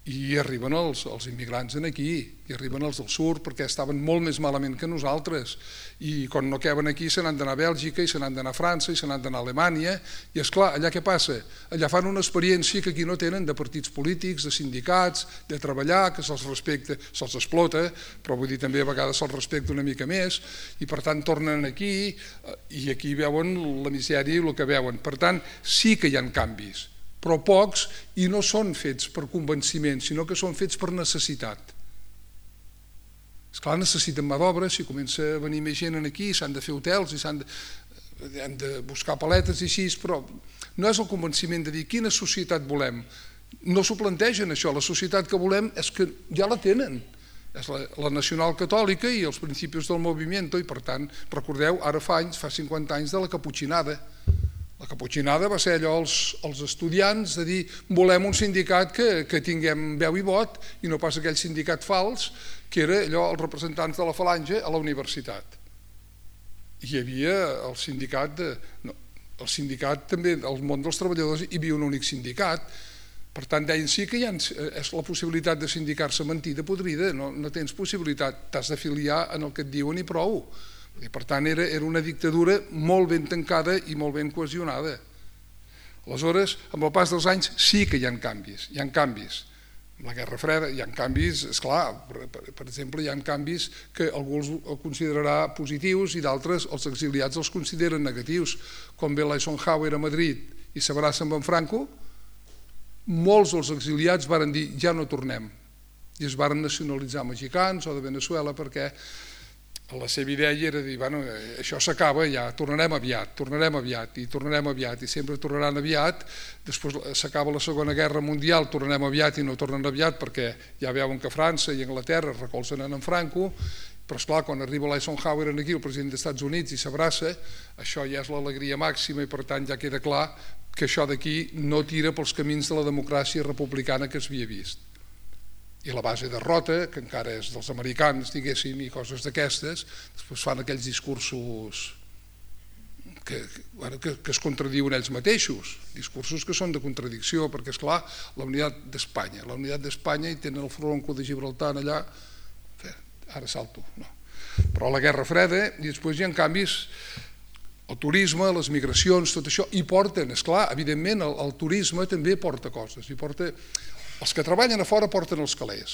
i arriben els immigrants aquí, i arriben els del sud perquè estaven molt més malament que nosaltres, i quan no caben aquí se n'han d'anar a Bèlgica, i se n'han d'anar a França, i se n'han d'anar a Alemanya, i esclar, allà què passa? Allà fan una experiència que aquí no tenen, de partits polítics, de sindicats, de treballar, que se'ls respecta, se'ls explota, però vull dir també a vegades se'ls respecta una mica més, i per tant tornen aquí, i aquí veuen la misèria i el que veuen. Per tant, sí que hi ha canvis, però pocs, i no són fets per convenciment, sinó que són fets per necessitat. Esclar, necessiten mà d'obra, si comença a venir més gent aquí, s'han de fer hotels i s'han de buscar paletes i així, però no és el convenciment de dir quina societat volem. No s'ho plantegen això, la societat que volem és que ja la tenen. És la nacional catòlica i els principis del moviment, i per tant, recordeu, ara fa 50 anys de la caputxinada. La caputxinada va ser allò als estudiants de dir volem un sindicat que tinguem veu i vot i no pas aquell sindicat fals que era allò els representants de la falange a la universitat. Hi havia el sindicat també, al món dels treballadors hi havia un únic sindicat, per tant deien sí que és la possibilitat de sindicar-se mentida podrida, no tens possibilitat, t'has d'afiliar en el que et diuen i prou. I per tant era una dictadura molt ben tancada i molt ben cohesionada. Aleshores, amb el pas dels anys sí que hi ha canvis, Amb la Guerra Freda hi ha canvis, esclar, per exemple, hi ha canvis que algú els considerarà positius i d'altres els exiliats els consideren negatius. Com ve l'Eisenhower a Madrid i s'abraça amb en Franco, molts dels exiliats varen dir ja no tornem i es varen nacionalitzar mexicans o de Venezuela perquè la seva idea era dir, bueno, això s'acaba ja, tornarem aviat i sempre tornaran aviat, després s'acaba la Segona Guerra Mundial, tornarem aviat i no tornen aviat perquè ja veuen que França i Anglaterra recolzen en Franco, però esclar, quan arriba l'Eisenhower aquí, el president dels Estats Units, i s'abraça, això ja és l'alegria màxima i per tant ja queda clar que això d'aquí no tira pels camins de la democràcia republicana que s'havia vist. I la base de Rota, que encara és dels americans, diguéssim, i coses d'aquestes, després fan aquells discursos que es contradiuen ells mateixos, discursos que són de contradicció, perquè, esclar, la unitat d'Espanya, i tenen el Fronco de Gibraltar allà, ara salto, no. Però la Guerra Freda, i després hi ha canvis, el turisme, les migracions, tot això, i porten, esclar, evidentment, el turisme també porta coses, els que treballen a fora porten els calés,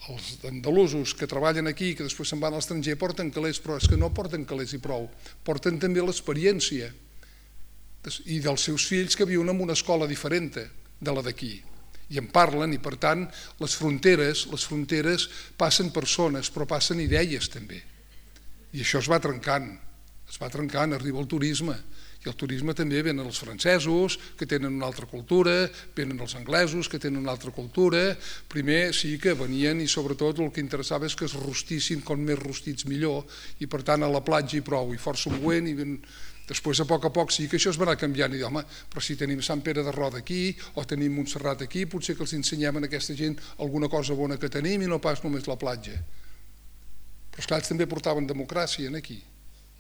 els andalusos que treballen aquí, que després se'n van a l'estranger, porten calés, però és que no porten calés i prou, porten també l'experiència i dels seus fills que viuen en una escola diferent de la d'aquí, i en parlen, i per tant les fronteres passen persones, però passen idees també, i això es va trencant, arriba el turisme, i el turisme també venen els francesos, que tenen una altra cultura, venen els anglesos, que tenen una altra cultura. Primer sí que venien i sobretot el que interessava és que es rostissin, com més rostits millor, i per tant a la platja i prou, i força buent, i després a poc sí que això es va anar canviant, i dir, home, però si tenim Sant Pere de Roda aquí, o tenim Montserrat aquí, potser que els ensenyem a aquesta gent alguna cosa bona que tenim i no pas només la platja. Però esclar, ells també portaven democràcia aquí.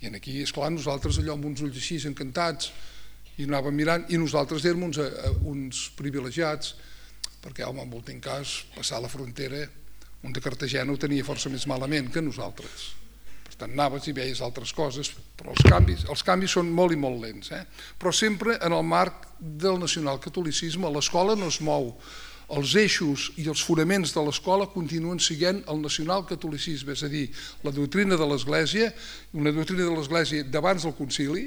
I aquí, esclar, nosaltres allò amb uns ulls així encantats i anàvem mirant, i nosaltres érem uns privilegiats, perquè, home, en últim cas, passar la frontera, un de Cartagena ho tenia força més malament que nosaltres. Per tant, anaves i veies altres coses, però els canvis són molt i molt lents. Però sempre en el marc del nacionalcatolicisme, l'escola no es mou. Els eixos i els fonaments de l'escola continuen sent el nacionalcatolicisme, és a dir, la doctrina de l'Església, una doctrina de l'Església d'abans del concili,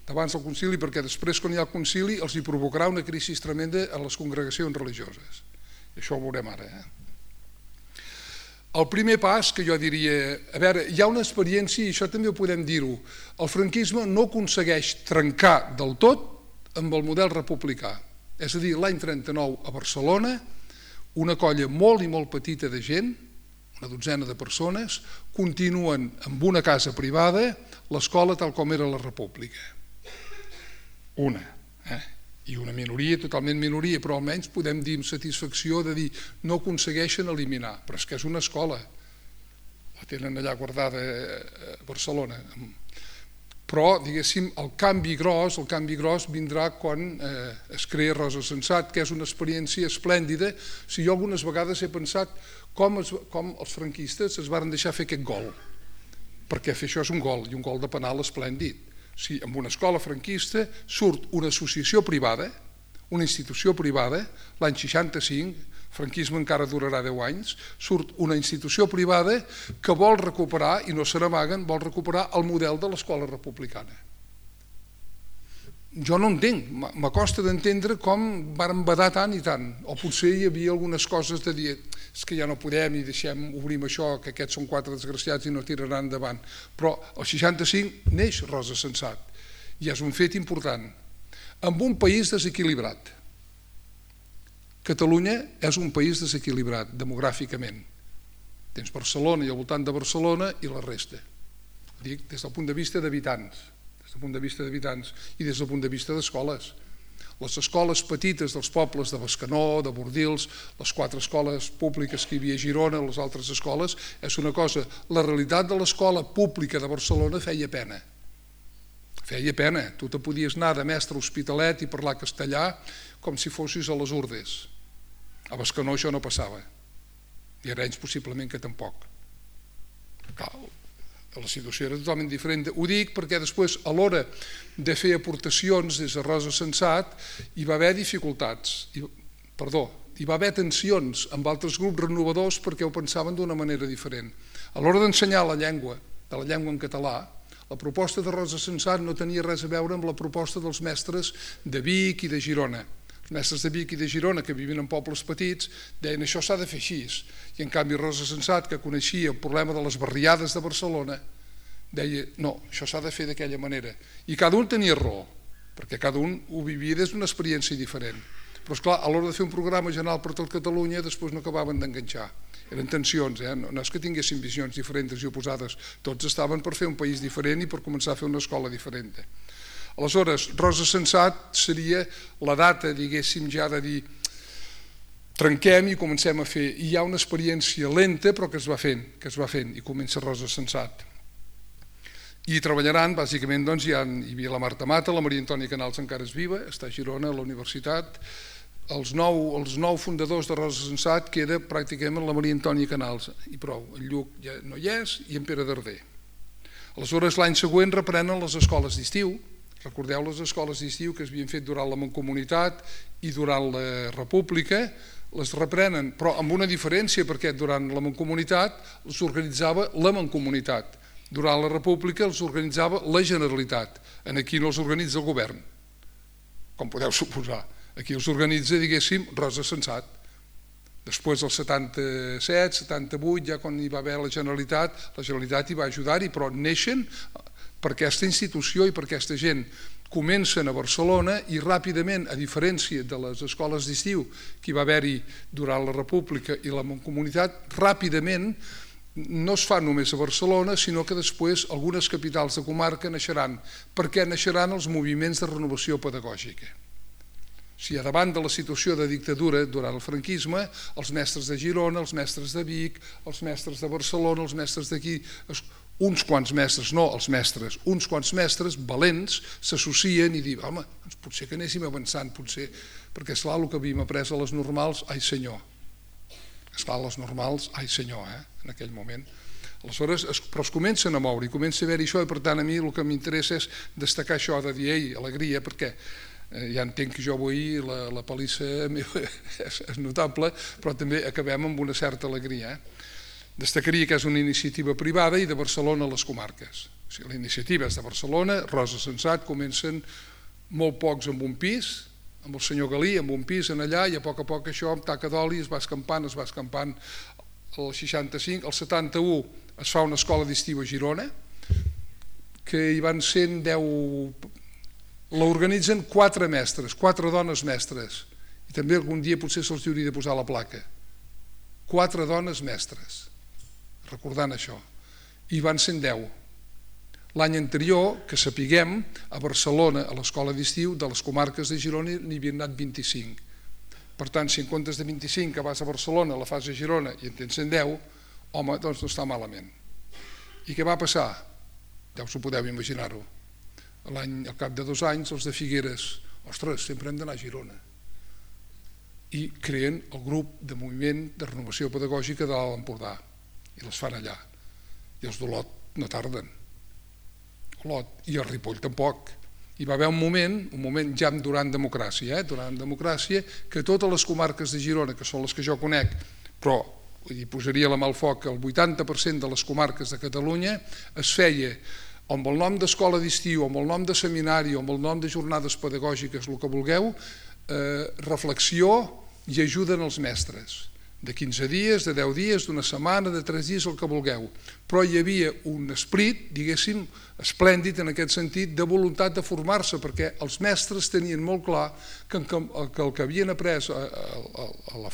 perquè després, quan hi ha el concili, els hi provocarà una crisi tremenda a les congregacions religioses. I això ho veurem ara. El primer pas, que jo diria, a veure, hi ha una experiència, i això també ho podem dir-ho, el franquisme no aconsegueix trencar del tot amb el model republicà. És a dir, l'any 39 a Barcelona, una colla molt i molt petita de gent, una dotzena de persones, continuen amb una casa privada l'escola tal com era la república. Una. I una minoria, totalment minoria, però almenys podem dir amb satisfacció de dir no aconsegueixen eliminar, però és que és una escola. La tenen allà guardada a Barcelona. Però, diguéssim, el canvi gros vindrà quan es crea Rosa Sensat, que és una experiència esplèndida. Jo algunes vegades he pensat com els franquistes es van deixar fer aquest gol, perquè fer això és un gol, i un gol de penal esplèndid. En una escola franquista surt una associació privada, una institució privada, l'any 65, franquisme encara durarà 10 anys, surt una institució privada que vol recuperar, i no se n'amaguen, vol recuperar el model de l'escola republicana. Jo no entenc, m'acosta d'entendre com varen badar tant i tant, o potser hi havia algunes coses de dir és que ja no podem i obrim això, que aquests són 4 desgraciats i no tiraran endavant. Però el 65 neix Rosa Sensat, i és un fet important. En un país desequilibrat, Catalunya és un país desequilibrat demogràficament. Tens Barcelona i al voltant de Barcelona i la resta. Dic des del punt de vista d'habitants, i des del punt de vista d'escoles. Les escoles petites dels pobles de Bescanó, de Bordils, les 4 escoles públiques que hi havia a Girona, les altres escoles, és una cosa. La realitat de l'escola pública de Barcelona feia pena. Feia pena. Tu te podies anar de mestre a Hospitalet i parlar castellà com si fossis a les Urdes. A Bescanó això no passava. I a Arenys possiblement que tampoc. La situació era totalment diferent. Ho dic perquè després, a l'hora de fer aportacions des de Rosa Sensat, hi va haver dificultats. Hi va haver tensions amb altres grups renovadors perquè ho pensaven d'una manera diferent. A l'hora d'ensenyar la llengua en català, la proposta de Rosa Sensat no tenia res a veure amb la proposta dels mestres de Vic i de Girona. Els mestres de Vic i de Girona, que vivien en pobles petits, deien això s'ha de fer així. I en canvi Rosa Sensat, que coneixia el problema de les barriades de Barcelona, deia no, això s'ha de fer d'aquella manera. I cada un tenia raó, perquè cada un ho vivia des d'una experiència diferent. Però esclar, a l'hora de fer un programa general per tot Catalunya, després no acabaven d'enganxar. Eren tensions, no és que tinguessin visions diferents i oposades, tots estaven per fer un país diferent i per començar a fer una escola diferent. Aleshores, Rosa Sensat seria la data, diguéssim, ja de dir trenquem i comencem a fer. I hi ha una experiència lenta però que es va fent i comença Rosa Sensat. I treballaran, bàsicament, hi havia la Marta Mata, la Maria Antònia Canals encara és viva, està a Girona, a la universitat. Els 9 fundadors de Rosa Sensat queda pràcticament la Maria Antònia Canals i prou. El Lluc ja no hi és i en Pere Darder. Aleshores, l'any següent reprenen les escoles d'estiu. Recordeu les escoles d'estiu que s'havien fet durant la Mancomunitat i durant la República, les reprenen, però amb una diferència, perquè durant la Mancomunitat els organitzava la Mancomunitat, durant la República els organitzava la Generalitat, aquí no els organitza el govern, com podeu suposar, aquí els organitza, diguéssim, Rosa Sensat. Després del 77, 78, ja quan hi va haver la Generalitat hi va ajudar-hi, però neixen per aquesta institució i per aquesta gent. Comencen a Barcelona i ràpidament, a diferència de les escoles d'estiu que hi va haver-hi durant la República i la Mancomunitat, ràpidament no es fa només a Barcelona, sinó que després algunes capitals de comarca naixeran, perquè naixeran els moviments de renovació pedagògica. Davant de la situació de dictadura durant el franquisme, els mestres de Girona, els mestres de Vic, els mestres de Barcelona, els mestres d'aquí, uns quants mestres, no els mestres, uns quants mestres valents s'associen i diuen, home, potser que anéssim avançant, potser, perquè esclar, el que havíem après a les normals, ai senyor, esclar, les normals, ai senyor, en aquell moment. Aleshores, però es comencen a moure i comença a haver-hi això i per tant a mi el que m'interessa és destacar això de dir, ei, alegria, perquè ja entenc que jo avui la palissa és notable, però també acabem amb una certa alegria. Destacaria que és una iniciativa privada i de Barcelona a les comarques. La iniciativa és de Barcelona, Rosa Sensat, comencen molt pocs amb un pis, amb el senyor Galí, amb un pis en allà, i a poc això amb taca d'oli es va escampant. El 65, el 71 es fa una escola d'estiu a Girona, que hi van ser 10... L'organitzen 4 mestres, 4 dones mestres, i també algun dia potser se'ls hauria de posar la placa. 4 dones mestres, recordant això, i van ser 10. L'any anterior, que sapiguem, a Barcelona, a l'escola d'estiu, de les comarques de Girona n'hi havien anat 25. Per tant, si en comptes de 25 que vas a Barcelona la fas a Girona i en tens 10, home, doncs no està malament. I què va passar? Ja us ho podeu imaginar-ho. Al cap de 2 anys, els de Figueres, ostres, sempre hem d'anar a Girona. I creen el grup de moviment de renovació pedagògica de l'Alt Empordà i les fan allà. I els d'Olot no tarden. Olot i el Ripoll tampoc. Hi va haver un moment ja durant democràcia, que totes les comarques de Girona, que són les que jo conec, però hi posaria la mà al foc, el 80% de les comarques de Catalunya es feia amb el nom d'escola d'estiu, amb el nom de seminari, amb el nom de jornades pedagògiques, el que vulgueu, reflexió i ajuden als mestres. De 15 dies, de 10 dies, d'una setmana, de 3 dies, el que vulgueu. Però hi havia un esperit, diguéssim, esplèndid en aquest sentit, de voluntat de formar-se, perquè els mestres tenien molt clar que el que havien après a la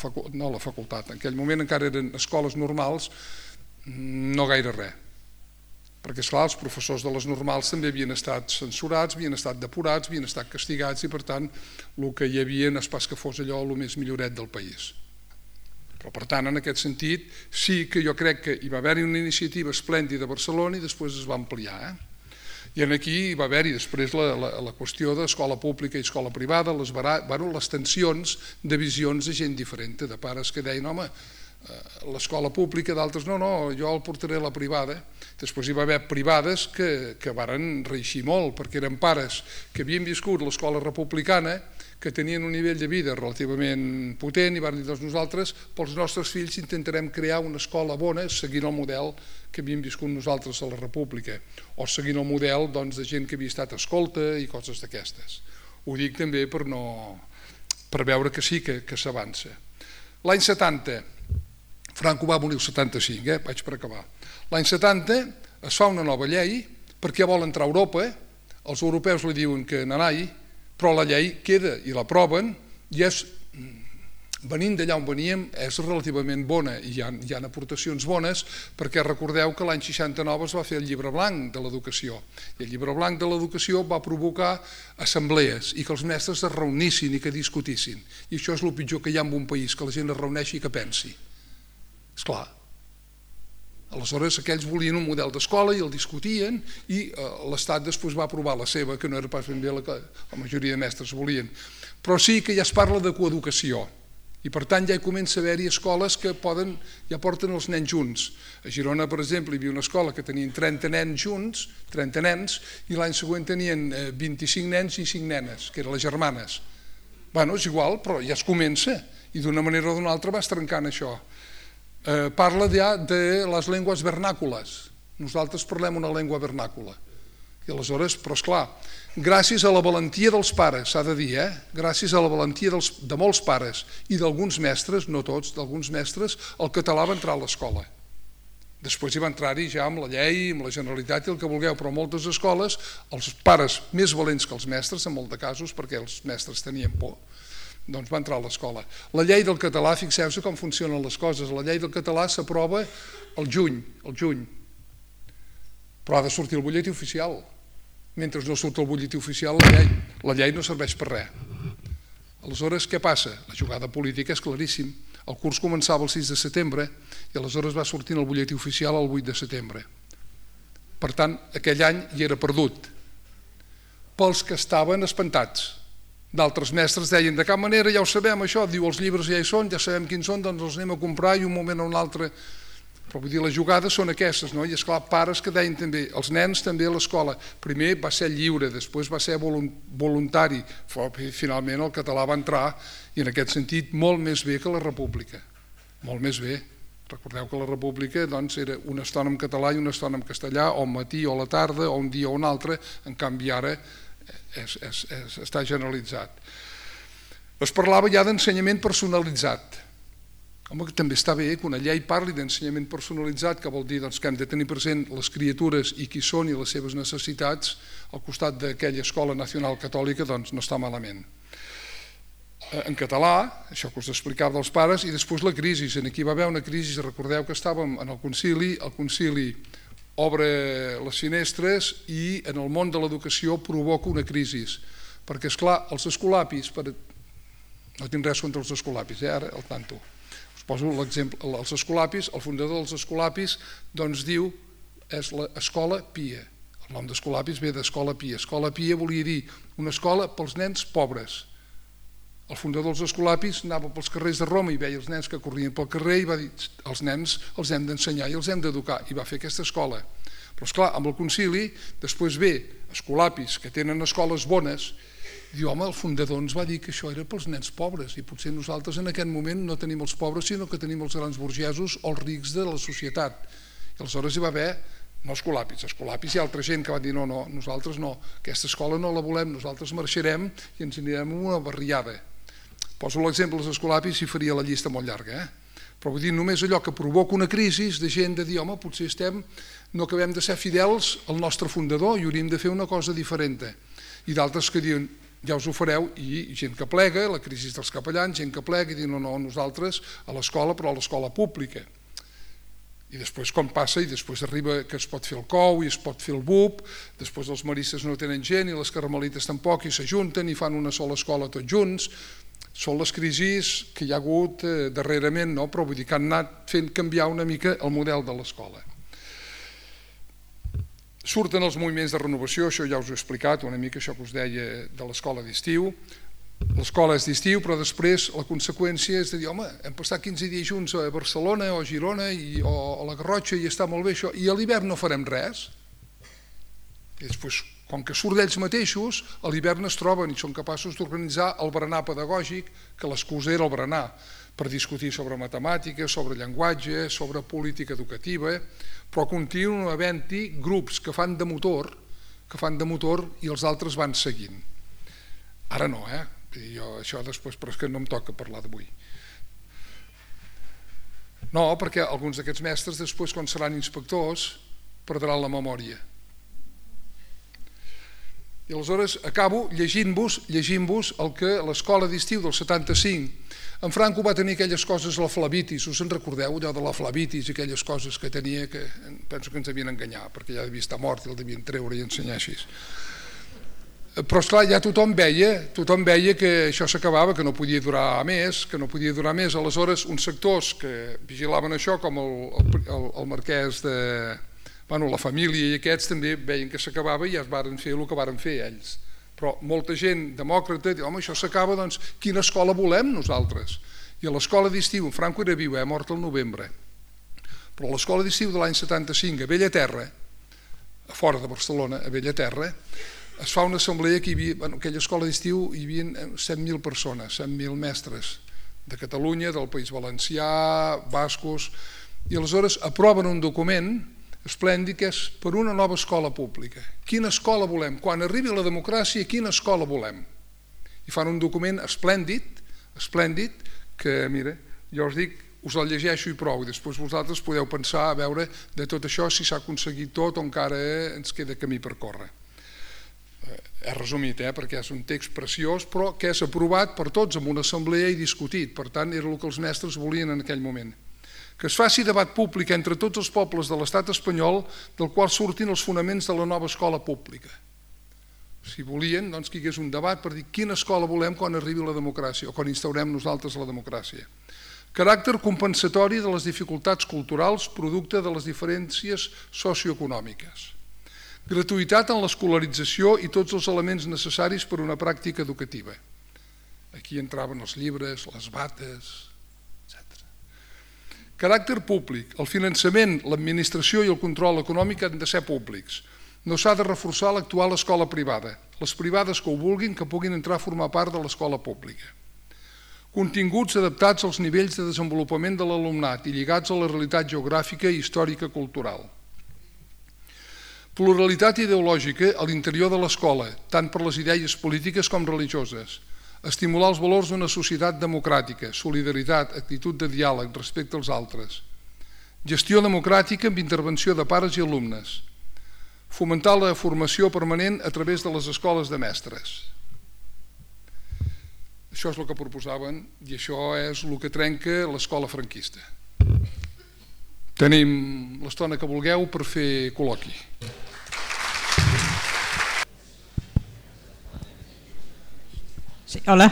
facultat, en aquell moment encara eren escoles normals, no gaire res. Perquè, esclar, els professors de les normals també havien estat censurats, havien estat depurats, havien estat castigats i, per tant, el que hi havia no és pas que fos allò el més milloret del país. Però, per tant, en aquest sentit, sí que jo crec que hi va haver-hi una iniciativa esplèndida a Barcelona i després es va ampliar. I aquí hi va haver-hi després la qüestió d'escola pública i escola privada, les tensions de visions de gent diferent, de pares que deien, home, l'escola pública, d'altres no, jo el portaré a la privada. Després hi va haver privades que varen reeixir molt, perquè eren pares que havien viscut l'escola republicana, que tenien un nivell de vida relativament potent i van dir, doncs nosaltres, pels nostres fills, intentarem crear una escola bona seguint el model que havíem viscut nosaltres a la república, o seguint el model de gent que havia estat escolta i coses d'aquestes. Ho dic també per veure que sí que s'avança. L'any 70, Franco va morir el 75, vaig per acabar. L'any 70 es fa una nova llei perquè vol entrar a Europa, els europeus li diuen que n'anai, però la llei queda i l'aproven i és, venint d'allà on veníem, és relativament bona i hi ha aportacions bones perquè recordeu que l'any 69 es va fer el llibre blanc de l'educació i el llibre blanc de l'educació va provocar assemblees i que els mestres es reunissin i que discutissin i això és el pitjor que hi ha en un país, que la gent es reuneixi i que pensi. Esclar. Aleshores aquells volien un model d'escola i el discutien i l'Estat després va aprovar la seva, que no era pas ben bé la que la majoria de mestres volien. Però sí que ja es parla de coeducació i per tant ja hi comença a haver-hi escoles que ja porten els nens junts. A Girona, per exemple, hi havia una escola que tenien 30 nens junts, 30 nens, i l'any següent tenien 25 nens i 5 nenes, que eren les germanes. Bé, és igual, però ja es comença i d'una manera o d'una altra vas trencant això. Parla ja de les llengües vernàcules. Nosaltres parlem una llengua vernàcula. I aleshores, però esclar, gràcies a la valentia dels pares, s'ha de dir, gràcies a la valentia de molts pares i d'alguns mestres, no tots, d'alguns mestres, el català va entrar a l'escola. Després hi va entrar-hi ja amb la llei, amb la Generalitat i el que vulgueu, però moltes escoles, els pares més valents que els mestres, en molts de casos, perquè els mestres tenien por, doncs va entrar a l'escola. La llei del català, fixeu-se com funcionen les coses, la llei del català s'aprova el juny, però ha de sortir el butlletí oficial. Mentre no surt el butlletí oficial, la llei no serveix per res. Aleshores, què passa? La jugada política és claríssim. El curs començava el 6 de setembre i aleshores va sortir el butlletí oficial el 8 de setembre. Per tant, aquell any hi era perdut. Pels que estaven espantats. D'altres mestres deien, de cap manera ja ho sabem això, diu els llibres ja hi són, ja sabem quins són, doncs els anem a comprar i un moment o un altre. Però vull dir, les jugades són aquestes, no? I esclar, pares que deien també, els nens també a l'escola, primer va ser lliure, després va ser voluntari, finalment el català va entrar i en aquest sentit molt més bé que la república, molt més bé. Recordeu que la república era una estona en català i una estona en castellà, o al matí o a la tarda, o un dia o un altre, en canvi ara està generalitzat. Es parlava ja d'ensenyament personalitzat. Home, també està bé que una llei parli d'ensenyament personalitzat, que vol dir que hem de tenir present les criatures i qui són i les seves necessitats al costat d'aquella escola nacional catòlica, doncs no està malament. En català, això que us explicava dels pares, i després la crisi. Aquí va haver una crisi, recordeu que estàvem en el concili obre les finestres i en el món de l'educació provoca una crisi, perquè esclar, els escolapis, no tinc res contra els escolapis, ara al tanto, us poso l'exemple, els escolapis, el fundador dels escolapis doncs diu és l'escola pia, El nom d'Escolapis ve d'Escola Pia. Escola Pia volia dir una escola pels nens pobres. El fundador dels Escolapis anava pels carrers de Roma i veia els nens que corrien pel carrer i va dir els nens els hem d'ensenyar i els hem d'educar, i va fer aquesta escola. Però esclar, amb el concili després ve Escolapis, que tenen escoles bones, i diu, home, el fundador ens va dir que això era pels nens pobres i potser nosaltres en aquest moment no tenim els pobres sinó que tenim els grans burgesos o els rics de la societat. I aleshores hi va haver no Escolapis hi ha altra gent que va dir no, nosaltres no, aquesta escola no la volem, nosaltres marxarem i ens anirem a una barriada. Poso l'exemple dels Escolapis i faria la llista molt llarga, però vull dir només allò que provoca una crisi de gent de dir, home, potser no acabem de ser fidels al nostre fundador i hauríem de fer una cosa diferent. I d'altres que diuen, ja us ho fareu, i gent que plega, la crisi dels capellans, gent que plega i diuen, no, nosaltres a l'escola, però a l'escola pública. I després com passa, i després arriba que es pot fer el COU i es pot fer el BUP, després els maristes no tenen gent i les carmelites tampoc i s'ajunten i fan una sola escola tots junts. Són les crisis que hi ha hagut darrerament, però vull dir que han anat fent canviar una mica el model de l'escola. Surten els moviments de renovació, això ja us ho he explicat, una mica això que us deia de l'escola d'estiu. L'escola és d'estiu, però després la conseqüència és de dir, home, hem passat 15 dies junts a Barcelona o a Girona o a la Garrotxa i està molt bé això, i a l'hivern no farem res. I després, com que surt d'ells mateixos, a l'hivern es troben i són capaços d'organitzar el berenar pedagògic, que l'excusa era el berenar, per discutir sobre matemàtiques, sobre llenguatge, sobre política educativa, però continuen havent-hi grups que fan de motor i els altres van seguint. Ara no, això després, però és que no em toca parlar d'avui. No, perquè alguns d'aquests mestres després, quan seran inspectors, perdran la memòria. I aleshores acabo llegint-vos el que l'escola d'estiu del 75, en Franco va tenir aquelles coses, la flavitis, us en recordeu, allò de la flavitis i aquelles coses que tenia que penso que ens havien enganyat, perquè ja devia estar mort i el devien treure i ensenyar així. Però esclar, ja tothom veia que això s'acabava, que no podia durar més, aleshores uns sectors que vigilaven això, com el marquès de... la família i aquests també veien que s'acabava i ja es varen fer el que varen fer ells. Però molta gent demòcrata diu, home, això s'acaba, doncs quina escola volem nosaltres? I a l'escola d'estiu, en Franco era viu, mort al novembre, però a l'escola d'estiu de l'any 75 a Bellaterra, a fora de Barcelona, a Bellaterra, es fa una assemblea que hi havia, en aquella escola d'estiu hi havia 100.000 persones, 100.000 mestres de Catalunya, del País Valencià, bascos, i aleshores aproven un document esplèndid que és per una nova escola pública. Quina escola volem? Quan arribi la democràcia, quina escola volem? I fan un document esplèndid, que, mira, jo us dic, us el llegeixo i prou, i després vosaltres podeu pensar a veure de tot això si s'ha aconseguit tot o encara ens queda camí per córrer. És resumit, perquè és un text preciós, però que és aprovat per tots en una assemblea i discutit, per tant era el que els mestres volien en aquell moment. Que es faci debat públic entre tots els pobles de l'estat espanyol del qual surtin els fonaments de la nova escola pública. Si volien, doncs que hi hagués un debat per dir quina escola volem quan arribi la democràcia o quan instaurem nosaltres la democràcia. Caràcter compensatori de les dificultats culturals producte de les diferències socioeconòmiques. Gratuïtat en l'escolarització i tots els elements necessaris per a una pràctica educativa. Aquí entraven els llibres, les bates, etc. Caràcter públic. El finançament, l'administració i el control econòmic han de ser públics. No s'ha de reforçar l'actual escola privada. Les privades que ho vulguin que puguin entrar a formar part de l'escola pública. Continguts adaptats als nivells de desenvolupament de l'alumnat i lligats a la realitat geogràfica i històrica cultural. Pluralitat ideològica a l'interior de l'escola, tant per les idees polítiques com religioses. Estimular els valors d'una societat democràtica, solidaritat, actitud de diàleg, respecte als altres. Gestió democràtica amb intervenció de pares i alumnes. Fomentar la formació permanent a través de les escoles de mestres. Això és el que proposaven i això és el que trenca l'escola franquista. Tenim l'estona que vulgueu per fer col·loqui. Sí, hola,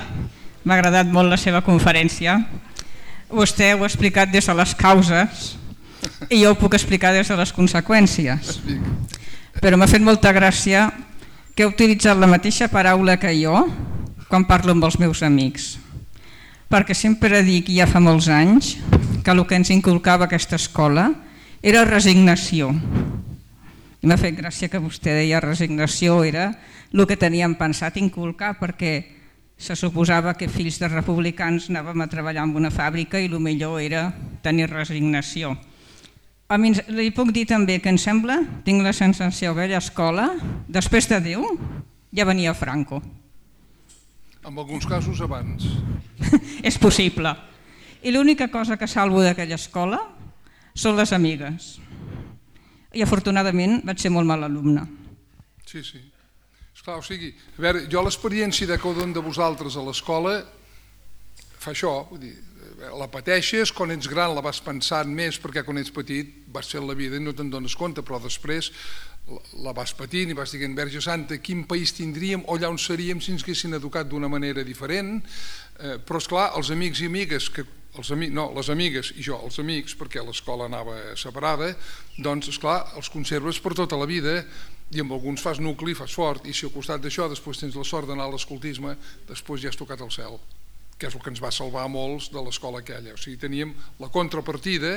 m'ha agradat molt la seva conferència. Vostè ho ha explicat des de les causes i jo ho puc explicar des de les conseqüències. però m'ha fet molta gràcia que he utilitzat la mateixa paraula que jo quan parlo amb els meus amics, perquè sempre dic ja fa molts anys que el que ens inculcava aquesta escola era resignació. I m'ha fet gràcia que vostè deia resignació era el que teníem pensat inculcar, perquè se suposava que fills de republicans anàvem a treballar en una fàbrica i el millor era tenir resignació. Li puc dir també que em sembla, tinc la sensació que aquella escola, després de Déu, ja venia Franco. En alguns casos abans. És possible. I l'única cosa que salvo d'aquella escola són les amigues. I afortunadament vaig ser molt mal alumne. Sí. Esclar, o sigui, a veure, jo l'experiència de cada un de vosaltres a l'escola fa això, vull dir, la pateixes, quan ets gran la vas pensant més perquè quan ets petit vas ser la vida i no te'n dones compte, però després la vas patint i vas dient, Verge Santa, quin país tindríem o allà on seríem si ens haguessin educat d'una manera diferent, però esclar, els amics i amigues, les amigues i jo, els amics, perquè l'escola anava separada, doncs esclar, els conserves per tota la vida i amb alguns fas nucli, fas fort, i si al costat d'això després tens la sort d'anar a l'escoltisme, després ja has tocat el cel, que és el que ens va salvar a molts de l'escola aquella. O sigui, teníem la contrapartida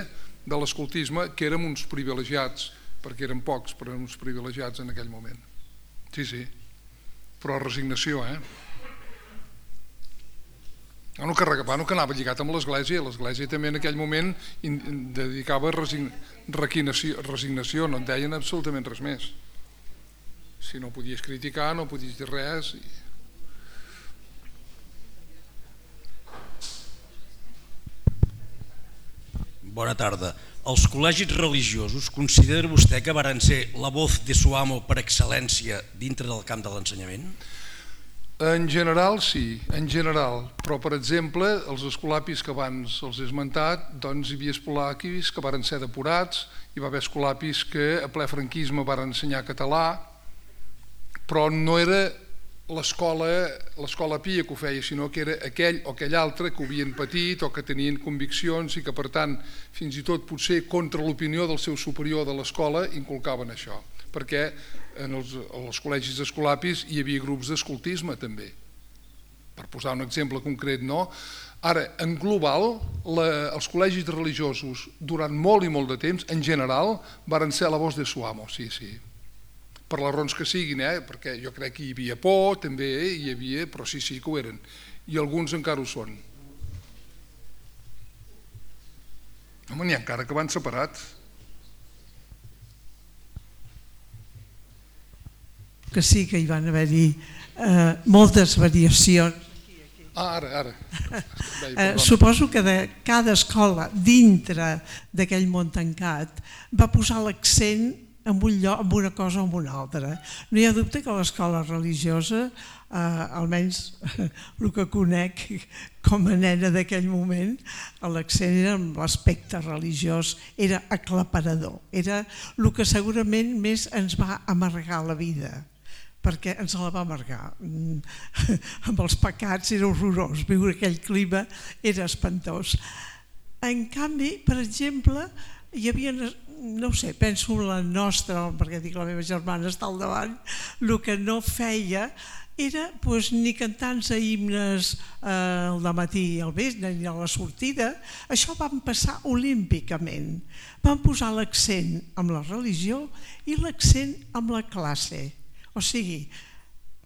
de l'escoltisme, que érem uns privilegiats, perquè eren pocs, però érem uns privilegiats en aquell moment. Sí, però resignació, No que anava lligat amb l'església també en aquell moment dedicava resignació, no en deien absolutament res més. Si no podies criticar, no podies dir res. Bona tarda. Els col·legis religiosos, considera vostè que varen ser la voz de su amo per excel·lència dintre del camp de l'ensenyament? En general sí, però per exemple els escolapis que abans els he esmentat, doncs hi havia escolapis que varen ser depurats, hi va haver escolapis que a ple franquisme varen ensenyar català, però no era l'escola pia que ho feia, sinó que era aquell o aquell altre que ho havien patit o que tenien conviccions i que per tant fins i tot potser contra l'opinió del seu superior de l'escola inculcaven això, perquè en els col·legis escolapis hi havia grups d'escoltisme també, per posar un exemple concret, no? Ara, en global, els col·legis religiosos durant molt i molt de temps, en general, varen ser la voz de su amo, sí, per les raons que siguin, perquè jo crec que hi havia por, també hi havia, però sí que ho eren, i alguns encara ho són. Home, n'hi ha encara que van separats. Que sí que hi van haver-hi moltes variacions. Ara. Suposo que de cada escola dintre d'aquell món tancat va posar l'accent en un lloc, en una cosa o en una altra. No hi ha dubte que l'escola religiosa, almenys el que conec com a nena d'aquell moment, l'accent era en l'aspecte religiós, era aclaparador, era el que segurament més ens va amargar la vida, perquè ens la va amargar. Amb els pecats era horrorós, viure aquell clima era espantós. En canvi, per exemple, hi havia, no ho sé, penso en la nostra, perquè dic la meva germana està al davant, el que no feia era ni cantar-nos himnes al dematí i al vespre, ni a la sortida. Això van passar olímpicament. Van posar l'accent amb la religió i l'accent amb la classe. O sigui,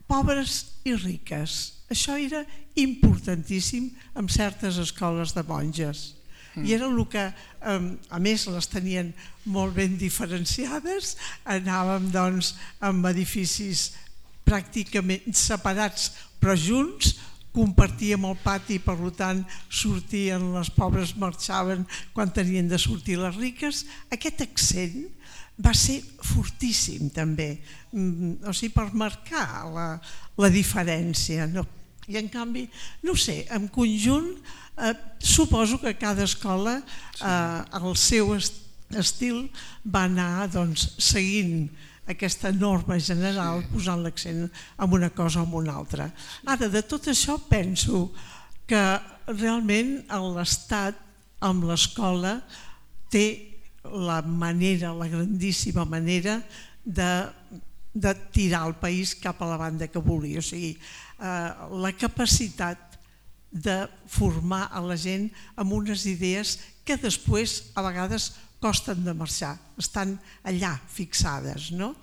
pobres i riques. Això era importantíssim en certes escoles de monges. I era el que, a més, les tenien molt ben diferenciades. Anàvem, doncs, amb edificis pràcticament separats, però junts, compartíem el pati, per tant, sortien les pobres, marxaven quan tenien de sortir les riques. Aquest accent va ser fortíssim també, o sigui, per marcar la diferència. I en canvi, no sé, en conjunt, suposo que cada escola, el seu estil, va anar seguint aquesta norma general, posant l'accent en una cosa o en una altra. Ara, de tot això penso que realment l'Estat amb l'escola té la grandíssima manera de tirar el país cap a la banda que volia. O sigui, la capacitat de formar a la gent amb unes idees que després a vegades costen de marxar, estan allà fixades, no?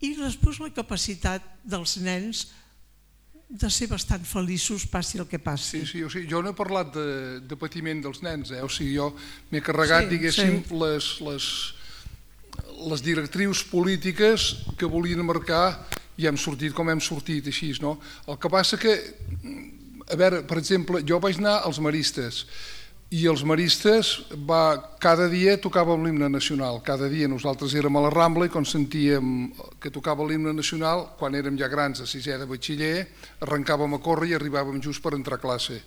I després la capacitat dels nens de ser bastant feliços passi el que passi. Sí, jo no he parlat de patiment dels nens, o sigui, jo m'he carregat, diguéssim, les directrius polítiques que volien marcar i hem sortit com hem sortit, així, no? El que passa que, a veure, per exemple, jo vaig anar als maristes i els maristes cada dia tocàvem l'himne nacional, cada dia nosaltres érem a la Rambla i quan sentíem que tocava l'himne nacional, quan érem ja grans a sisè de batxiller, arrencàvem a córrer i arribàvem just per entrar a classe,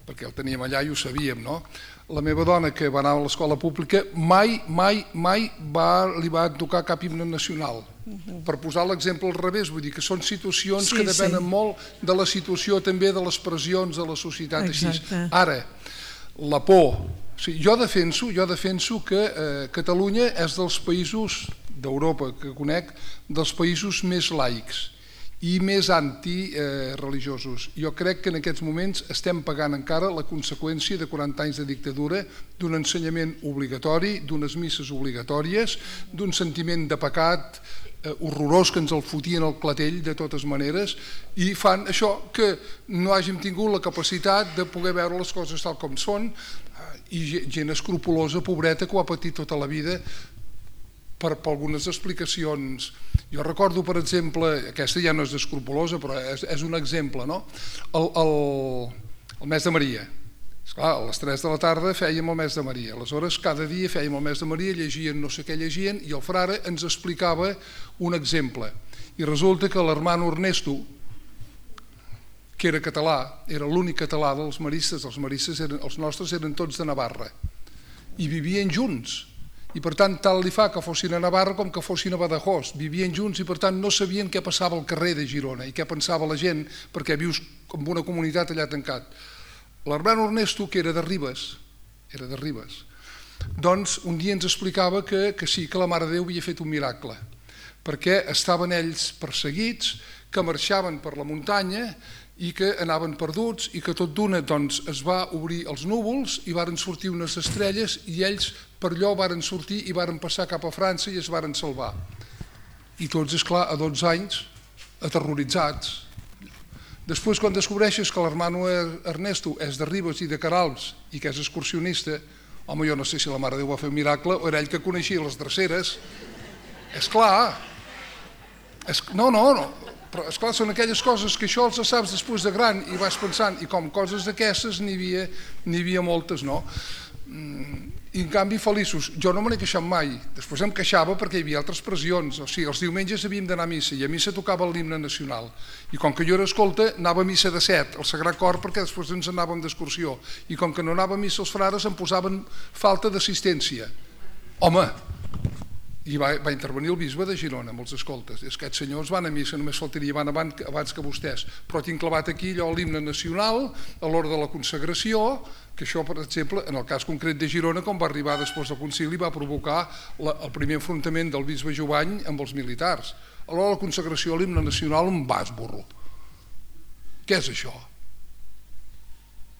perquè el teníem allà i ho sabíem, no? La meva dona, que va anar a l'escola pública, mai li va tocar cap himne nacional. Per posar l'exemple al revés, vull dir que són situacions que depenen molt de la situació també de les pressions de la societat així. Ara, la por. Jo defenso que Catalunya és dels països d'Europa que conec, dels països més laics i més antireligiosos. Jo crec que en aquests moments estem pagant encara la conseqüència de 40 anys de dictadura, d'un ensenyament obligatori, d'unes misses obligatòries, d'un sentiment de pecat horrorós que ens el fotien al clatell de totes maneres i fan això que no hàgim tingut la capacitat de poder veure les coses tal com són i gent escrupulosa, pobreta, que ho ha patit tota la vida per algunes explicacions. Jo recordo, per exemple, aquesta ja no és escrupulosa, però és un exemple, no? El mes de Maria. Esclar, a les 3 de la tarda fèiem el mes de Maria. Aleshores, cada dia fèiem el mes de Maria, llegien no sé què llegien, i el frare ens explicava un exemple. I resulta que l'hermano Ernesto, que era català, era l'únic català dels maristes, els nostres eren tots de Navarra, i vivien junts. I per tant, tant li fa que fossin a Navarra com que fossin a Badajoz. Vivien junts i per tant no sabien què passava al carrer de Girona i què pensava la gent, perquè vius en una comunitat allà tancat. L'hermano Ernesto, que era de Ribes, doncs un dia ens explicava que sí, que la Mare de Déu havia fet un miracle, perquè estaven ells perseguits, que marxaven per la muntanya i que anaven perduts i que tot d'una es va obrir els núvols i varen sortir unes estrelles i ells per allò varen sortir i varen passar cap a França i es varen salvar. I tots, esclar, a 12 anys, aterroritzats. Després, quan descobreixes que l'hermano Ernesto és de Ribes i de Queralbs i que és excursionista, home, jo no sé si la Mare de Déu va fer un miracle o era ell que coneixia les dreceres. És clar. No, però esclar, són aquelles coses que això els saps després de gran i vas pensant, i com coses d'aquestes n'hi havia moltes, no? I en canvi feliços. Jo no me n'he queixat mai. Després em queixava perquè hi havia altres pressions. O sigui, els diumenges havíem d'anar a missa i a missa tocava l'himne nacional. I com que jo era escolta, anava a missa de 7, al Sagrat Cor, perquè després ens anàvem d'excursió. I com que no anava a missa els frares em posaven falta d'assistència. Home, i va intervenir el bisbe de Girona amb els escoltes. Aquests senyors van a missa, només faltaria, van abans que vostès. Però tinc clavat aquí allò l'himne nacional a l'hora de la consagració, que això, per exemple, en el cas concret de Girona, com va arribar després del concili, va provocar el primer enfrontament del bisbe Jovany amb els militars. A l'hora de la consagració a l'himne nacional un burro. Què és això?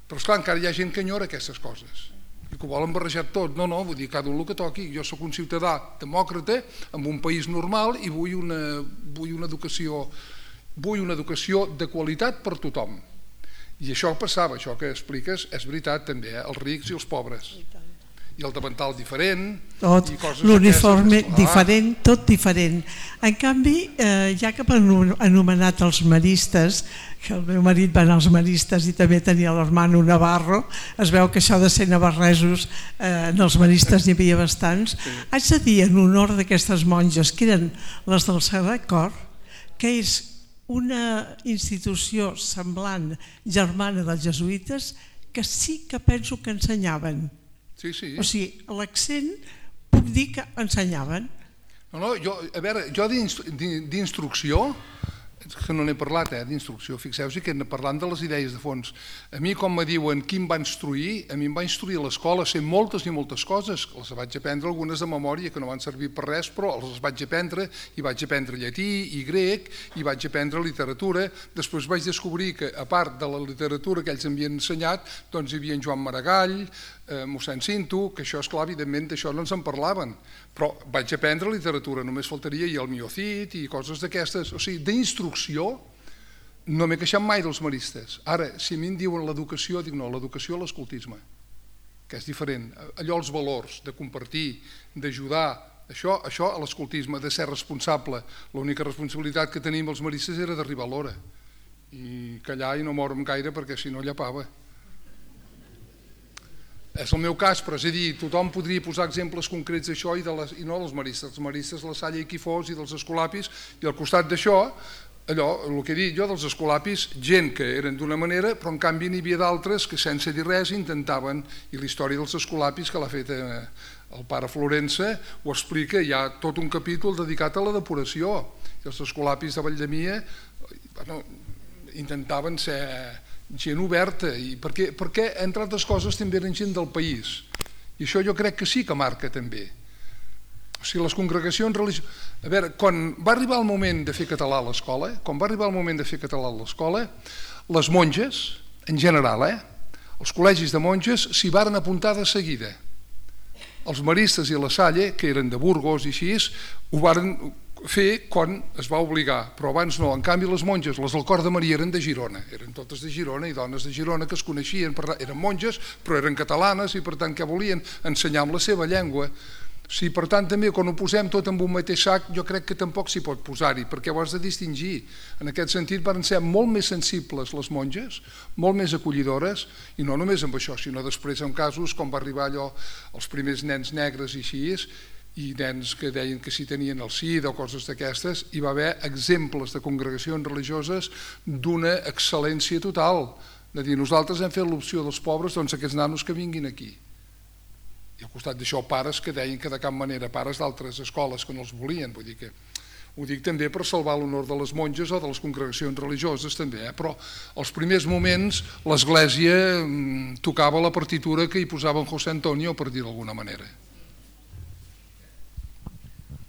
Però esclar, encara hi ha gent que enyora aquestes coses i que ho volen barrejar tot. No, vull dir, cada un el que toqui. Jo sóc un ciutadà demòcrata en un país normal i vull una educació de qualitat per tothom. I això passava, això que expliques és veritat també, els rics i els pobres. I el davantal diferent, tot, l'uniforme diferent, tot diferent. En canvi, ja que han anomenat els maristes, que el meu marit va anar als maristes i també tenia l'hermano Navarro, es veu que això de ser navarresos en els maristes n'hi havia bastants. Haig de dir en honor d'aquestes monges, que eren les del Sagrat Cor, que és una institució semblant germana dels jesuïtes que sí que penso que ensenyaven. Sí. O sigui, l'accent puc dir que ensenyaven. No, jo d'instrucció que no n'he parlat d'instrucció, fixeu-vos que parlant de les idees de fons. A mi, com me diuen qui em va instruir, a mi em va instruir a l'escola, sé moltes i moltes coses, les vaig aprendre algunes de memòria que no van servir per res, però les vaig aprendre, i vaig aprendre llatí i grec, i vaig aprendre literatura. Després vaig descobrir que, a part de la literatura que ells m'havien ensenyat, doncs hi havia en Joan Maragall, mossèn Cinto, que això, esclar, evidentment, d'això no ens en parlaven, però vaig aprendre literatura, només faltaria i el Miocid i coses d'aquestes, o sigui, d'instrucció no m'he queixat mai dels maristes. Ara, si a mi em diuen l'educació, dic no, l'educació a l'escoltisme, que és diferent, allò els valors, de compartir, d'ajudar, això a l'escoltisme, de ser responsable. L'única responsabilitat que tenim els maristes era d'arribar a l'hora i callar i no moure'm gaire perquè si no llepava. És el meu cas, però és a dir, tothom podria posar exemples concrets d'això i no dels maristes, la Salle i Quifós i dels escolapis, i al costat d'això, allò, el que he dit jo dels escolapis, gent que eren d'una manera, però en canvi n'hi havia d'altres que sense dir res intentaven, i la història dels escolapis que l'ha fet el pare Florença ho explica, hi ha tot un capítol dedicat a la depuració, i els escolapis de Valldemia intentaven ser gent oberta, perquè entre altres coses també eren gent del país, i això jo crec que sí que marca també. O sigui, les congregacions religioses... A veure, quan va arribar el moment de fer català a l'escola, les monges, en general, els col·legis de monges s'hi varen apuntar de seguida. Els maristes i la Salle, que eren de Burgos i així, ho varen fer quan es va obligar, però abans no. En canvi, les monges, les del Cor de Maria, eren de Girona, eren totes de Girona i dones de Girona que es coneixien, eren monges, però eren catalanes i per tant què volien? Ensenyar amb la seva llengua. Sí, per tant, també quan ho posem tot en un mateix sac, jo crec que tampoc s'hi pot posar-hi, perquè ho has de distingir. En aquest sentit, van ser molt més sensibles les monges, molt més acollidores, i no només amb això, sinó després en casos com va arribar allò, els primers nens negres i així, i nens que deien que si tenien el SIDA o coses d'aquestes, hi va haver exemples de congregacions religioses d'una excel·lència total, de dir, nosaltres hem fet l'opció dels pobres, doncs aquests nanos que vinguin aquí. I al costat d'això pares que deien que de cap manera, pares d'altres escoles que no els volien, vull dir que ho dic també per salvar l'honor de les monges o de les congregacions religioses també, però als primers moments l'Església tocava la partitura que hi posava en José Antonio, per dir d'alguna manera.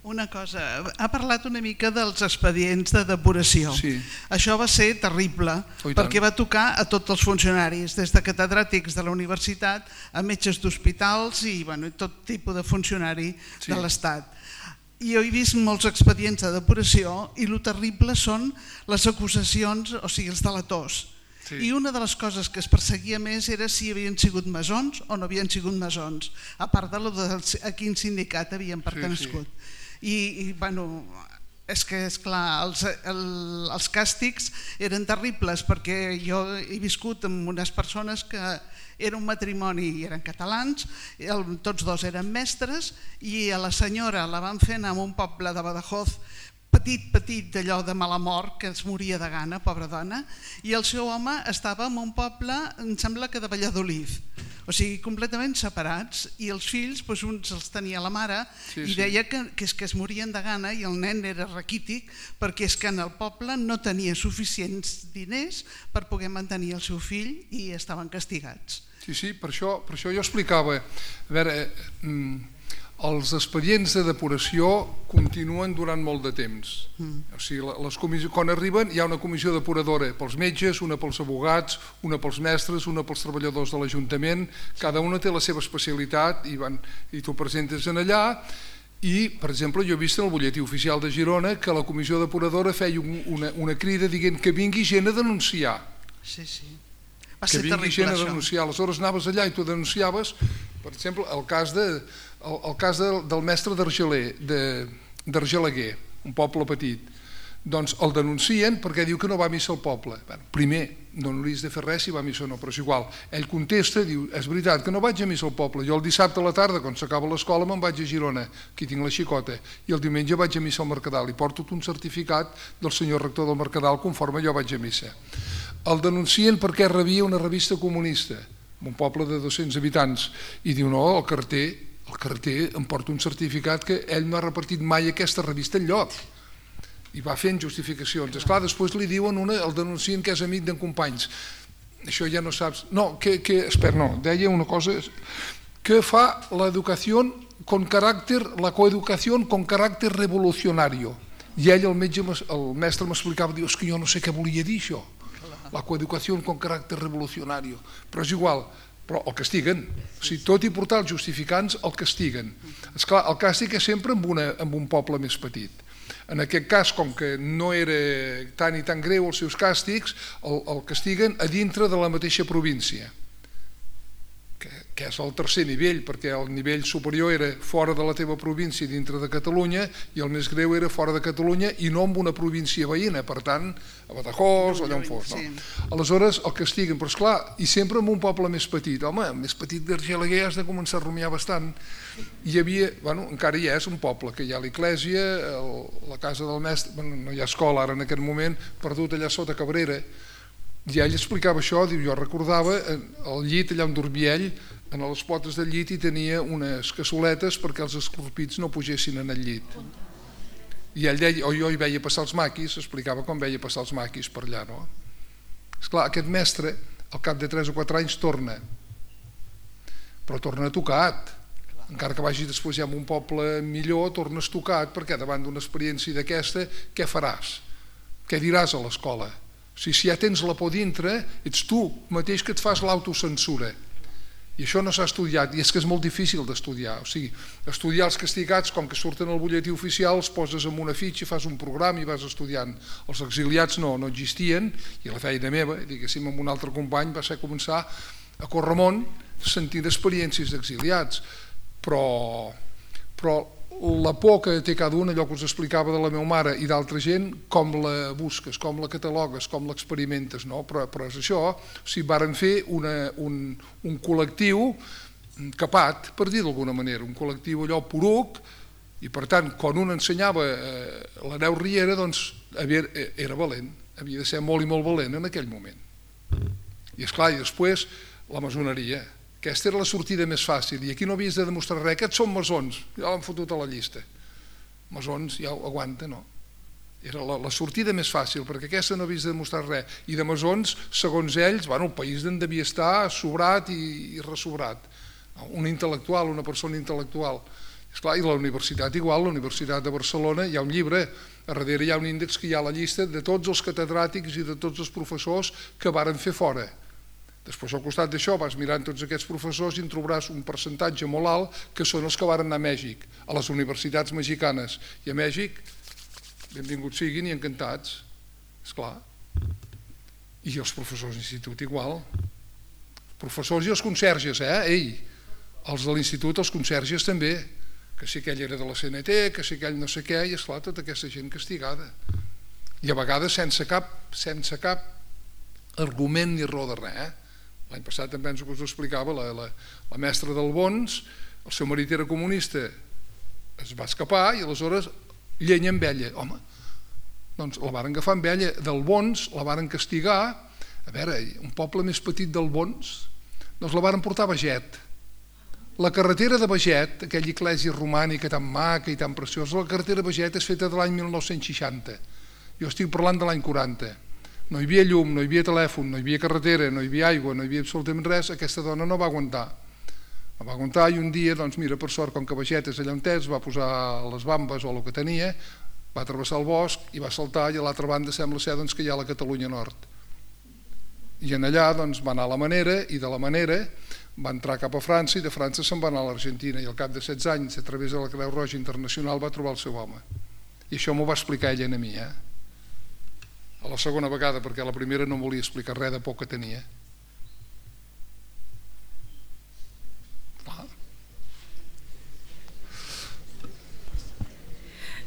Una cosa, ha parlat una mica dels expedients de depuració. Sí. Això va ser terrible, perquè va tocar a tots els funcionaris, des de catedràtics de la universitat a metges d'hospitals i tot tipus de funcionari de l'Estat. Jo he vist molts expedients de depuració i el terrible són les acusacions, o sigui, els delators. I una de les coses que es perseguia més era si havien sigut maçons o no havien sigut maçons, a part de a quin sindicat havien pertangut. I és que, esclar, els càstigs eren terribles, perquè jo he viscut amb unes persones que era un matrimoni i eren catalans, tots dos eren mestres, i a la senyora la van fer anar a un poble de Badajoz petit d'allò de mala mort, que es moria de gana, pobra dona, i el seu home estava en un poble, em sembla que de Valladolid, o sigui, completament separats, i els fills, uns els tenia la mare, i deia que es morien de gana, i el nen era raquític, perquè és que en el poble no tenia suficients diners per poder mantenir el seu fill i estaven castigats. Sí, per això jo explicava, a veure, els expedients de depuració continuen durant molt de temps. O sigui, quan arriben hi ha una comissió depuradora pels metges, una pels abogats, una pels mestres, una pels treballadors de l'Ajuntament, cada una té la seva especialitat i tu presentes en allà. I, per exemple, jo he vist en el butlletí oficial de Girona que la comissió depuradora feia una crida dient que vingui gent a denunciar. Sí. Que vingui gent a denunciar. Aleshores anaves allà i tu denunciaves, per exemple, el cas del mestre d'Argelaguer, un poble petit. Doncs el denuncien perquè diu que no va a missa al poble. Primer, no hauries de fer res si va a missa o no, però és igual. Ell contesta, diu, és veritat que no vaig a missa al poble, jo el dissabte a la tarda, quan s'acaba l'escola, me'n vaig a Girona, aquí tinc la xicota, i el diumenge vaig a missa al Mercadal, i porto un certificat del senyor rector del Mercadal conforme jo vaig a missa. El denuncien perquè rebia una revista comunista, un poble de 200 habitants, i diu, no, el carter em porta un certificat que ell no ha repartit mai aquesta revista enlloc. i va fent justificacions. Esclar, després li diuen el denuncien que és amic d'en Companys. Això ja no saps... No, espera, no, deia una cosa que fa l'educació con caràcter, la coeducació con caràcter revolucionario. I ell, el mestre m'explicava, diu, és que jo no sé què volia dir això, la coeducació con caràcter revolucionario, però és igual, però el castiguen, o sigui, tot i portar els justificants el castiguen. Esclar, el càstig és sempre en un poble més petit. En aquest cas, com que no era tan i tan greu els seus càstigs, el castiguen a dintre de la mateixa província, que és el tercer nivell, perquè el nivell superior era fora de la teva província dintre de Catalunya i el més greu era fora de Catalunya i no en una província veïna, per tant, a Badajoz o allà on fos. Aleshores el castiguen, però esclar, i sempre en un poble més petit. Home, més petit d'Argelaguer has de començar a rumiar bastant. Hi havia, encara hi és un poble, que hi ha l'església, la casa del mestre, no hi ha escola ara en aquest moment, perdut allà sota Cabrera. I ell explicava això, diu, jo recordava el llit allà on dormia ell, a les potes del llit hi tenia unes cassoletes perquè els escorpits no pugessin en el llit. I ell deia, jo hi veia passar els maquis, explicava com veia passar els maquis per allà, no? Esclar, aquest mestre, al cap de 3 o 4 anys, torna. Però torna tocat. Encara que vagi després ja en un poble millor, tornes tocat, perquè davant d'una experiència d'aquesta, què faràs? Què diràs a l'escola? O sigui, si ja tens la por dintre, ets tu mateix que et fas l'autocensura. I això no s'ha estudiat, i és que és molt difícil d'estudiar. O sigui, estudiar els castigats, com que surten al butlletí oficial, els poses en una fitxa, fas un programa i vas estudiant. Els exiliats no existien, i la feina meva, diguéssim, amb un altre company, va ser començar a córrer món sentint experiències d'exiliats. Però la por que té cada un, allò que us explicava de la meva mare i d'altra gent, com la busques, com la catalogues, com l'experimentes, no? Però és això, o sigui, varen fer un col·lectiu capat, per dir d'alguna manera, un col·lectiu allò poruc, i per tant, quan un ensenyava l'Aneu Riera, doncs era valent, havia de ser molt i molt valent en aquell moment. I esclar, i després la maçoneria. Aquesta era la sortida més fàcil, i aquí no havies de demostrar res. Aquests són maçons, ja l'han fotut a la llista. Maçons ja ho aguanta, no? Era la sortida més fàcil, perquè aquesta no havies de demostrar res. I de maçons, segons ells, el país en devia estar sobrat i ressobrat. Un intel·lectual, una persona intel·lectual. Esclar, i la universitat igual, la Universitat de Barcelona, hi ha un llibre, a darrere hi ha un índex que hi ha la llista de tots els catedràtics i de tots els professors que varen fer fora. Després, al costat d'això, vas mirant tots aquests professors i en trobaràs un percentatge molt alt que són els que varen anar a Mèxic, a les universitats mexicanes. I a Mèxic, benvinguts siguin i encantats, esclar. I els professors d'institut igual. Professors i els conserges, Ei, els de l'institut, els conserges també, que si aquell era de la CNT, que si aquell no sé què, i esclar, tota aquesta gent castigada. I a vegades sense cap argument ni raó de res, L'any passat també penso que us ho explicava, la mestra del Bons, el seu marit era comunista, es va escapar i aleshores llenya amb ella. Home, doncs la varen agafar amb ella del Bons, la varen castigar. A veure, un poble més petit del Bons, doncs la varen portar a Beget. La carretera de Beget, aquella església romànica tan maca i tan preciosa, la carretera de Beget és feta de l'any 1960. Jo estic parlant de l'any 40. No hi havia llum, no hi havia telèfon, no hi havia carretera, no hi havia aigua, no hi havia absolutament res. Aquesta dona no va aguantar. No va aguantar i un dia, doncs mira, per sort, com que Beget és allà on és, va posar les bambes o el que tenia, va travessar el bosc i va saltar, i a l'altra banda sembla ser que hi ha la Catalunya Nord. I en allà doncs, va anar a la Manera, i de la Manera va entrar cap a França, i de França se'n va anar a l'Argentina, i al cap de 16 anys, a través de la Creu Roja Internacional, va trobar el seu home. I això m'ho va explicar ella a mi, a la segona vegada, perquè la primera no volia explicar res de por que tenia.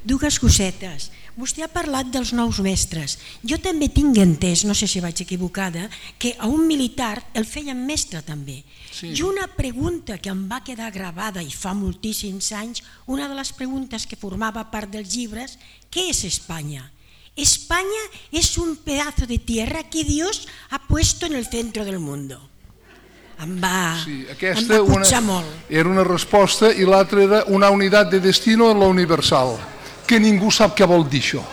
Dues cosetes. Vostè ha parlat dels nous mestres. Jo també tinc entès, no sé si vaig equivocada, que a un militar el feien mestre també. Sí. I una pregunta que em va quedar gravada i fa moltíssims anys, una de les preguntes que formava part dels llibres, què és Espanya? España es un pedazo de tierra que Dios ha puesto en el centro del mundo. Em va cotxar molt. Era una resposta i l'altra era una unitat de destino en la universal, que ningú sap què vol dir això.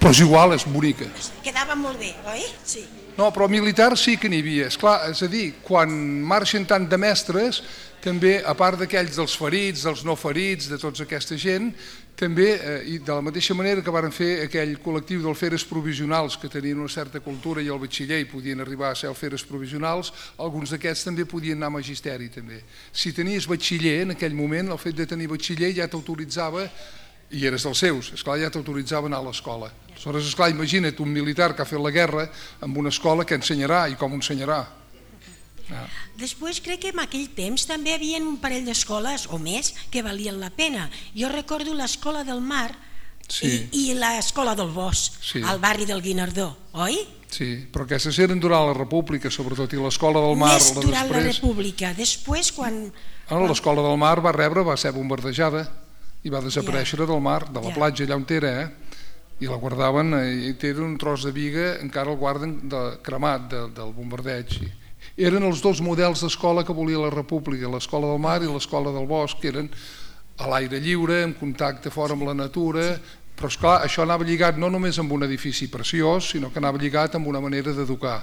però és igual, és bonica. Quedava molt bé, oi? Sí. No, però militar sí que n'hi havia. Esclar, és a dir, quan marxen tant de mestres, també, a part d'aquells dels ferits, dels no ferits, de tota aquesta gent, també, i de la mateixa manera que varen fer aquell col·lectiu d'alferes provisionals que tenien una certa cultura i al batxiller i podien arribar a ser alferes provisionals, alguns d'aquests també podien anar a magisteri també. Si tenies batxiller en aquell moment, el fet de tenir batxiller ja t'autoritzava, i eres dels seus, esclar, ja t'autoritzava a anar a l'escola. Aleshores, esclar, imagina't un militar que ha fet la guerra amb una escola que ensenyarà i com ensenyarà. Després crec que en aquell temps també hi havia un parell d'escoles o més que valien la pena. Jo recordo l'Escola del Mar i l'Escola del Bosc, al barri del Guinardó, oi? Sí, però aquestes eren durant la República, sobretot, i l'Escola del Mar... Més durant la República, després quan... L'Escola del Mar va ser bombardejada i va desaparèixer del mar, de la platja allà on era, i la guardaven, i tenen un tros de biga, encara el guarden cremat del bombardeig. Eren els dos models d'escola que volia la República, l'Escola del Mar i l'Escola del Bosc, que eren a l'aire lliure, en contacte fora amb la natura, però esclar, això anava lligat no només amb un edifici preciós, sinó que anava lligat amb una manera d'educar,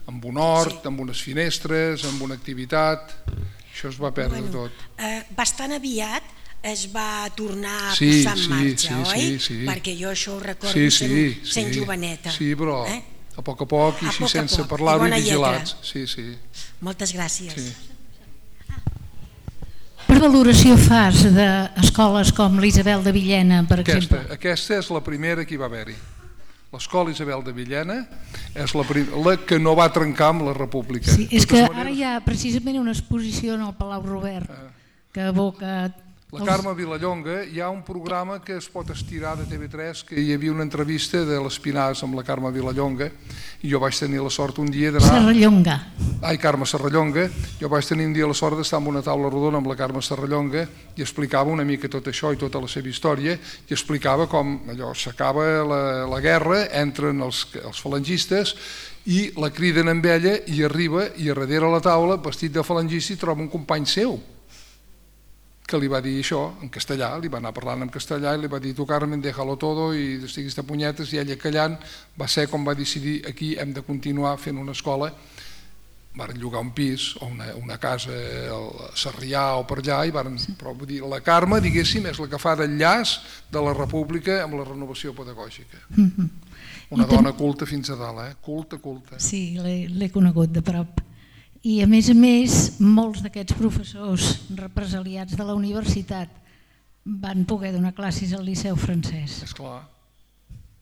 amb un hort, amb unes finestres, amb una activitat, això es va perdre tot. Bastant aviat es va tornar a posar en marxa, oi? Perquè jo això ho recordo sent joveneta. Sí, però a poc i així sense parlar-ho i vigilats. Moltes gràcies. Per valoració fas d'escoles com l'Isabel de Villena, per exemple? Aquesta és la primera que hi va haver-hi. L'Escola Isabel de Villena és la que no va trencar amb la República. Sí, és que ara hi ha precisament una exposició en el Palau Robert que evoca... La Carme Vilallonga, hi ha un programa que es pot estirar de TV3, que hi havia una entrevista de l'Espinàs amb la Carme Vilallonga, i jo vaig tenir la sort un dia d'anar... Serrallonga. Carme Serrallonga. Jo vaig tenir un dia la sort d'estar en una taula rodona amb la Carme Serrallonga i explicava una mica tot això i tota la seva història, i explicava com allò s'acaba la guerra, entren els falangistes i la criden amb ella i arriba i a darrere la taula, vestit de falangista, i troba un company seu que li va dir això en castellà, li va anar parlant en castellà i li va dir tu Carmen, déjalo todo i estiguis de punyetes, i ella callant va ser com va decidir aquí hem de continuar fent una escola. Varen llogar un pis o una casa a Sarrià o per allà, però vull dir, la Carme, diguéssim, és la que fa d'enllaç de la República amb la renovació pedagògica. Una dona culta fins a dalt, culta. Sí, l'he conegut de prop. I a més, molts d'aquests professors represaliats de la universitat van poder donar classes al Liceu Francès. Esclar,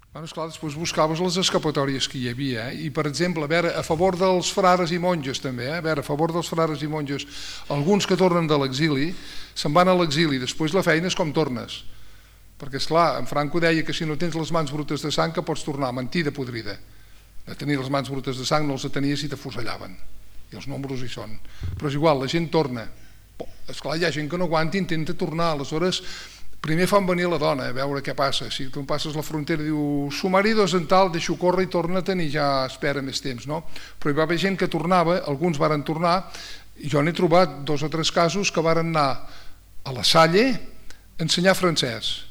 després buscaves les escapatòries que hi havia, i per exemple, a favor dels frares i monges també, a favor dels frares i monges, alguns que tornen de l'exili, se'n van a l'exili, després la feina és com tornes, perquè esclar, en Franco deia que si no tens les mans brutes de sang que pots tornar, mentida podrida, de tenir les mans brutes de sang no els tenies i t'afusellaven. I els números hi són, però és igual, la gent torna. Esclar, hi ha gent que no aguanta i intenta tornar, aleshores primer fan venir la dona a veure què passa, si tu passes la frontera i diu su marido és en tal, deixo córrer i torna-te'n i ja espera més temps, no? Però hi va haver gent que tornava, alguns varen tornar, i jo n'he trobat 2 o 3 casos que varen anar a la Salle a ensenyar francès,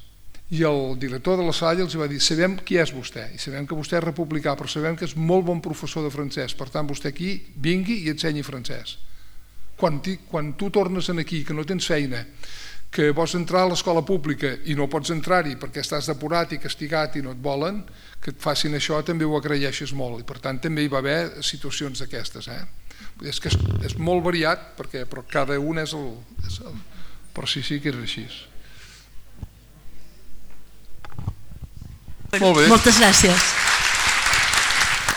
i el director de la Salle els va dir sabem qui és vostè, i sabem que vostè és republicà, però sabem que és molt bon professor de francès, per tant vostè aquí vingui i ensenyi francès. Quan tu tornes aquí, que no tens feina, que vols entrar a l'escola pública i no pots entrar-hi perquè estàs depurat i castigat i no et volen, que et facin això també ho agraeixes molt, i per tant també hi va haver situacions d'aquestes. És que és molt variat, però cada un és el... Però sí que és així. Moltes gràcies.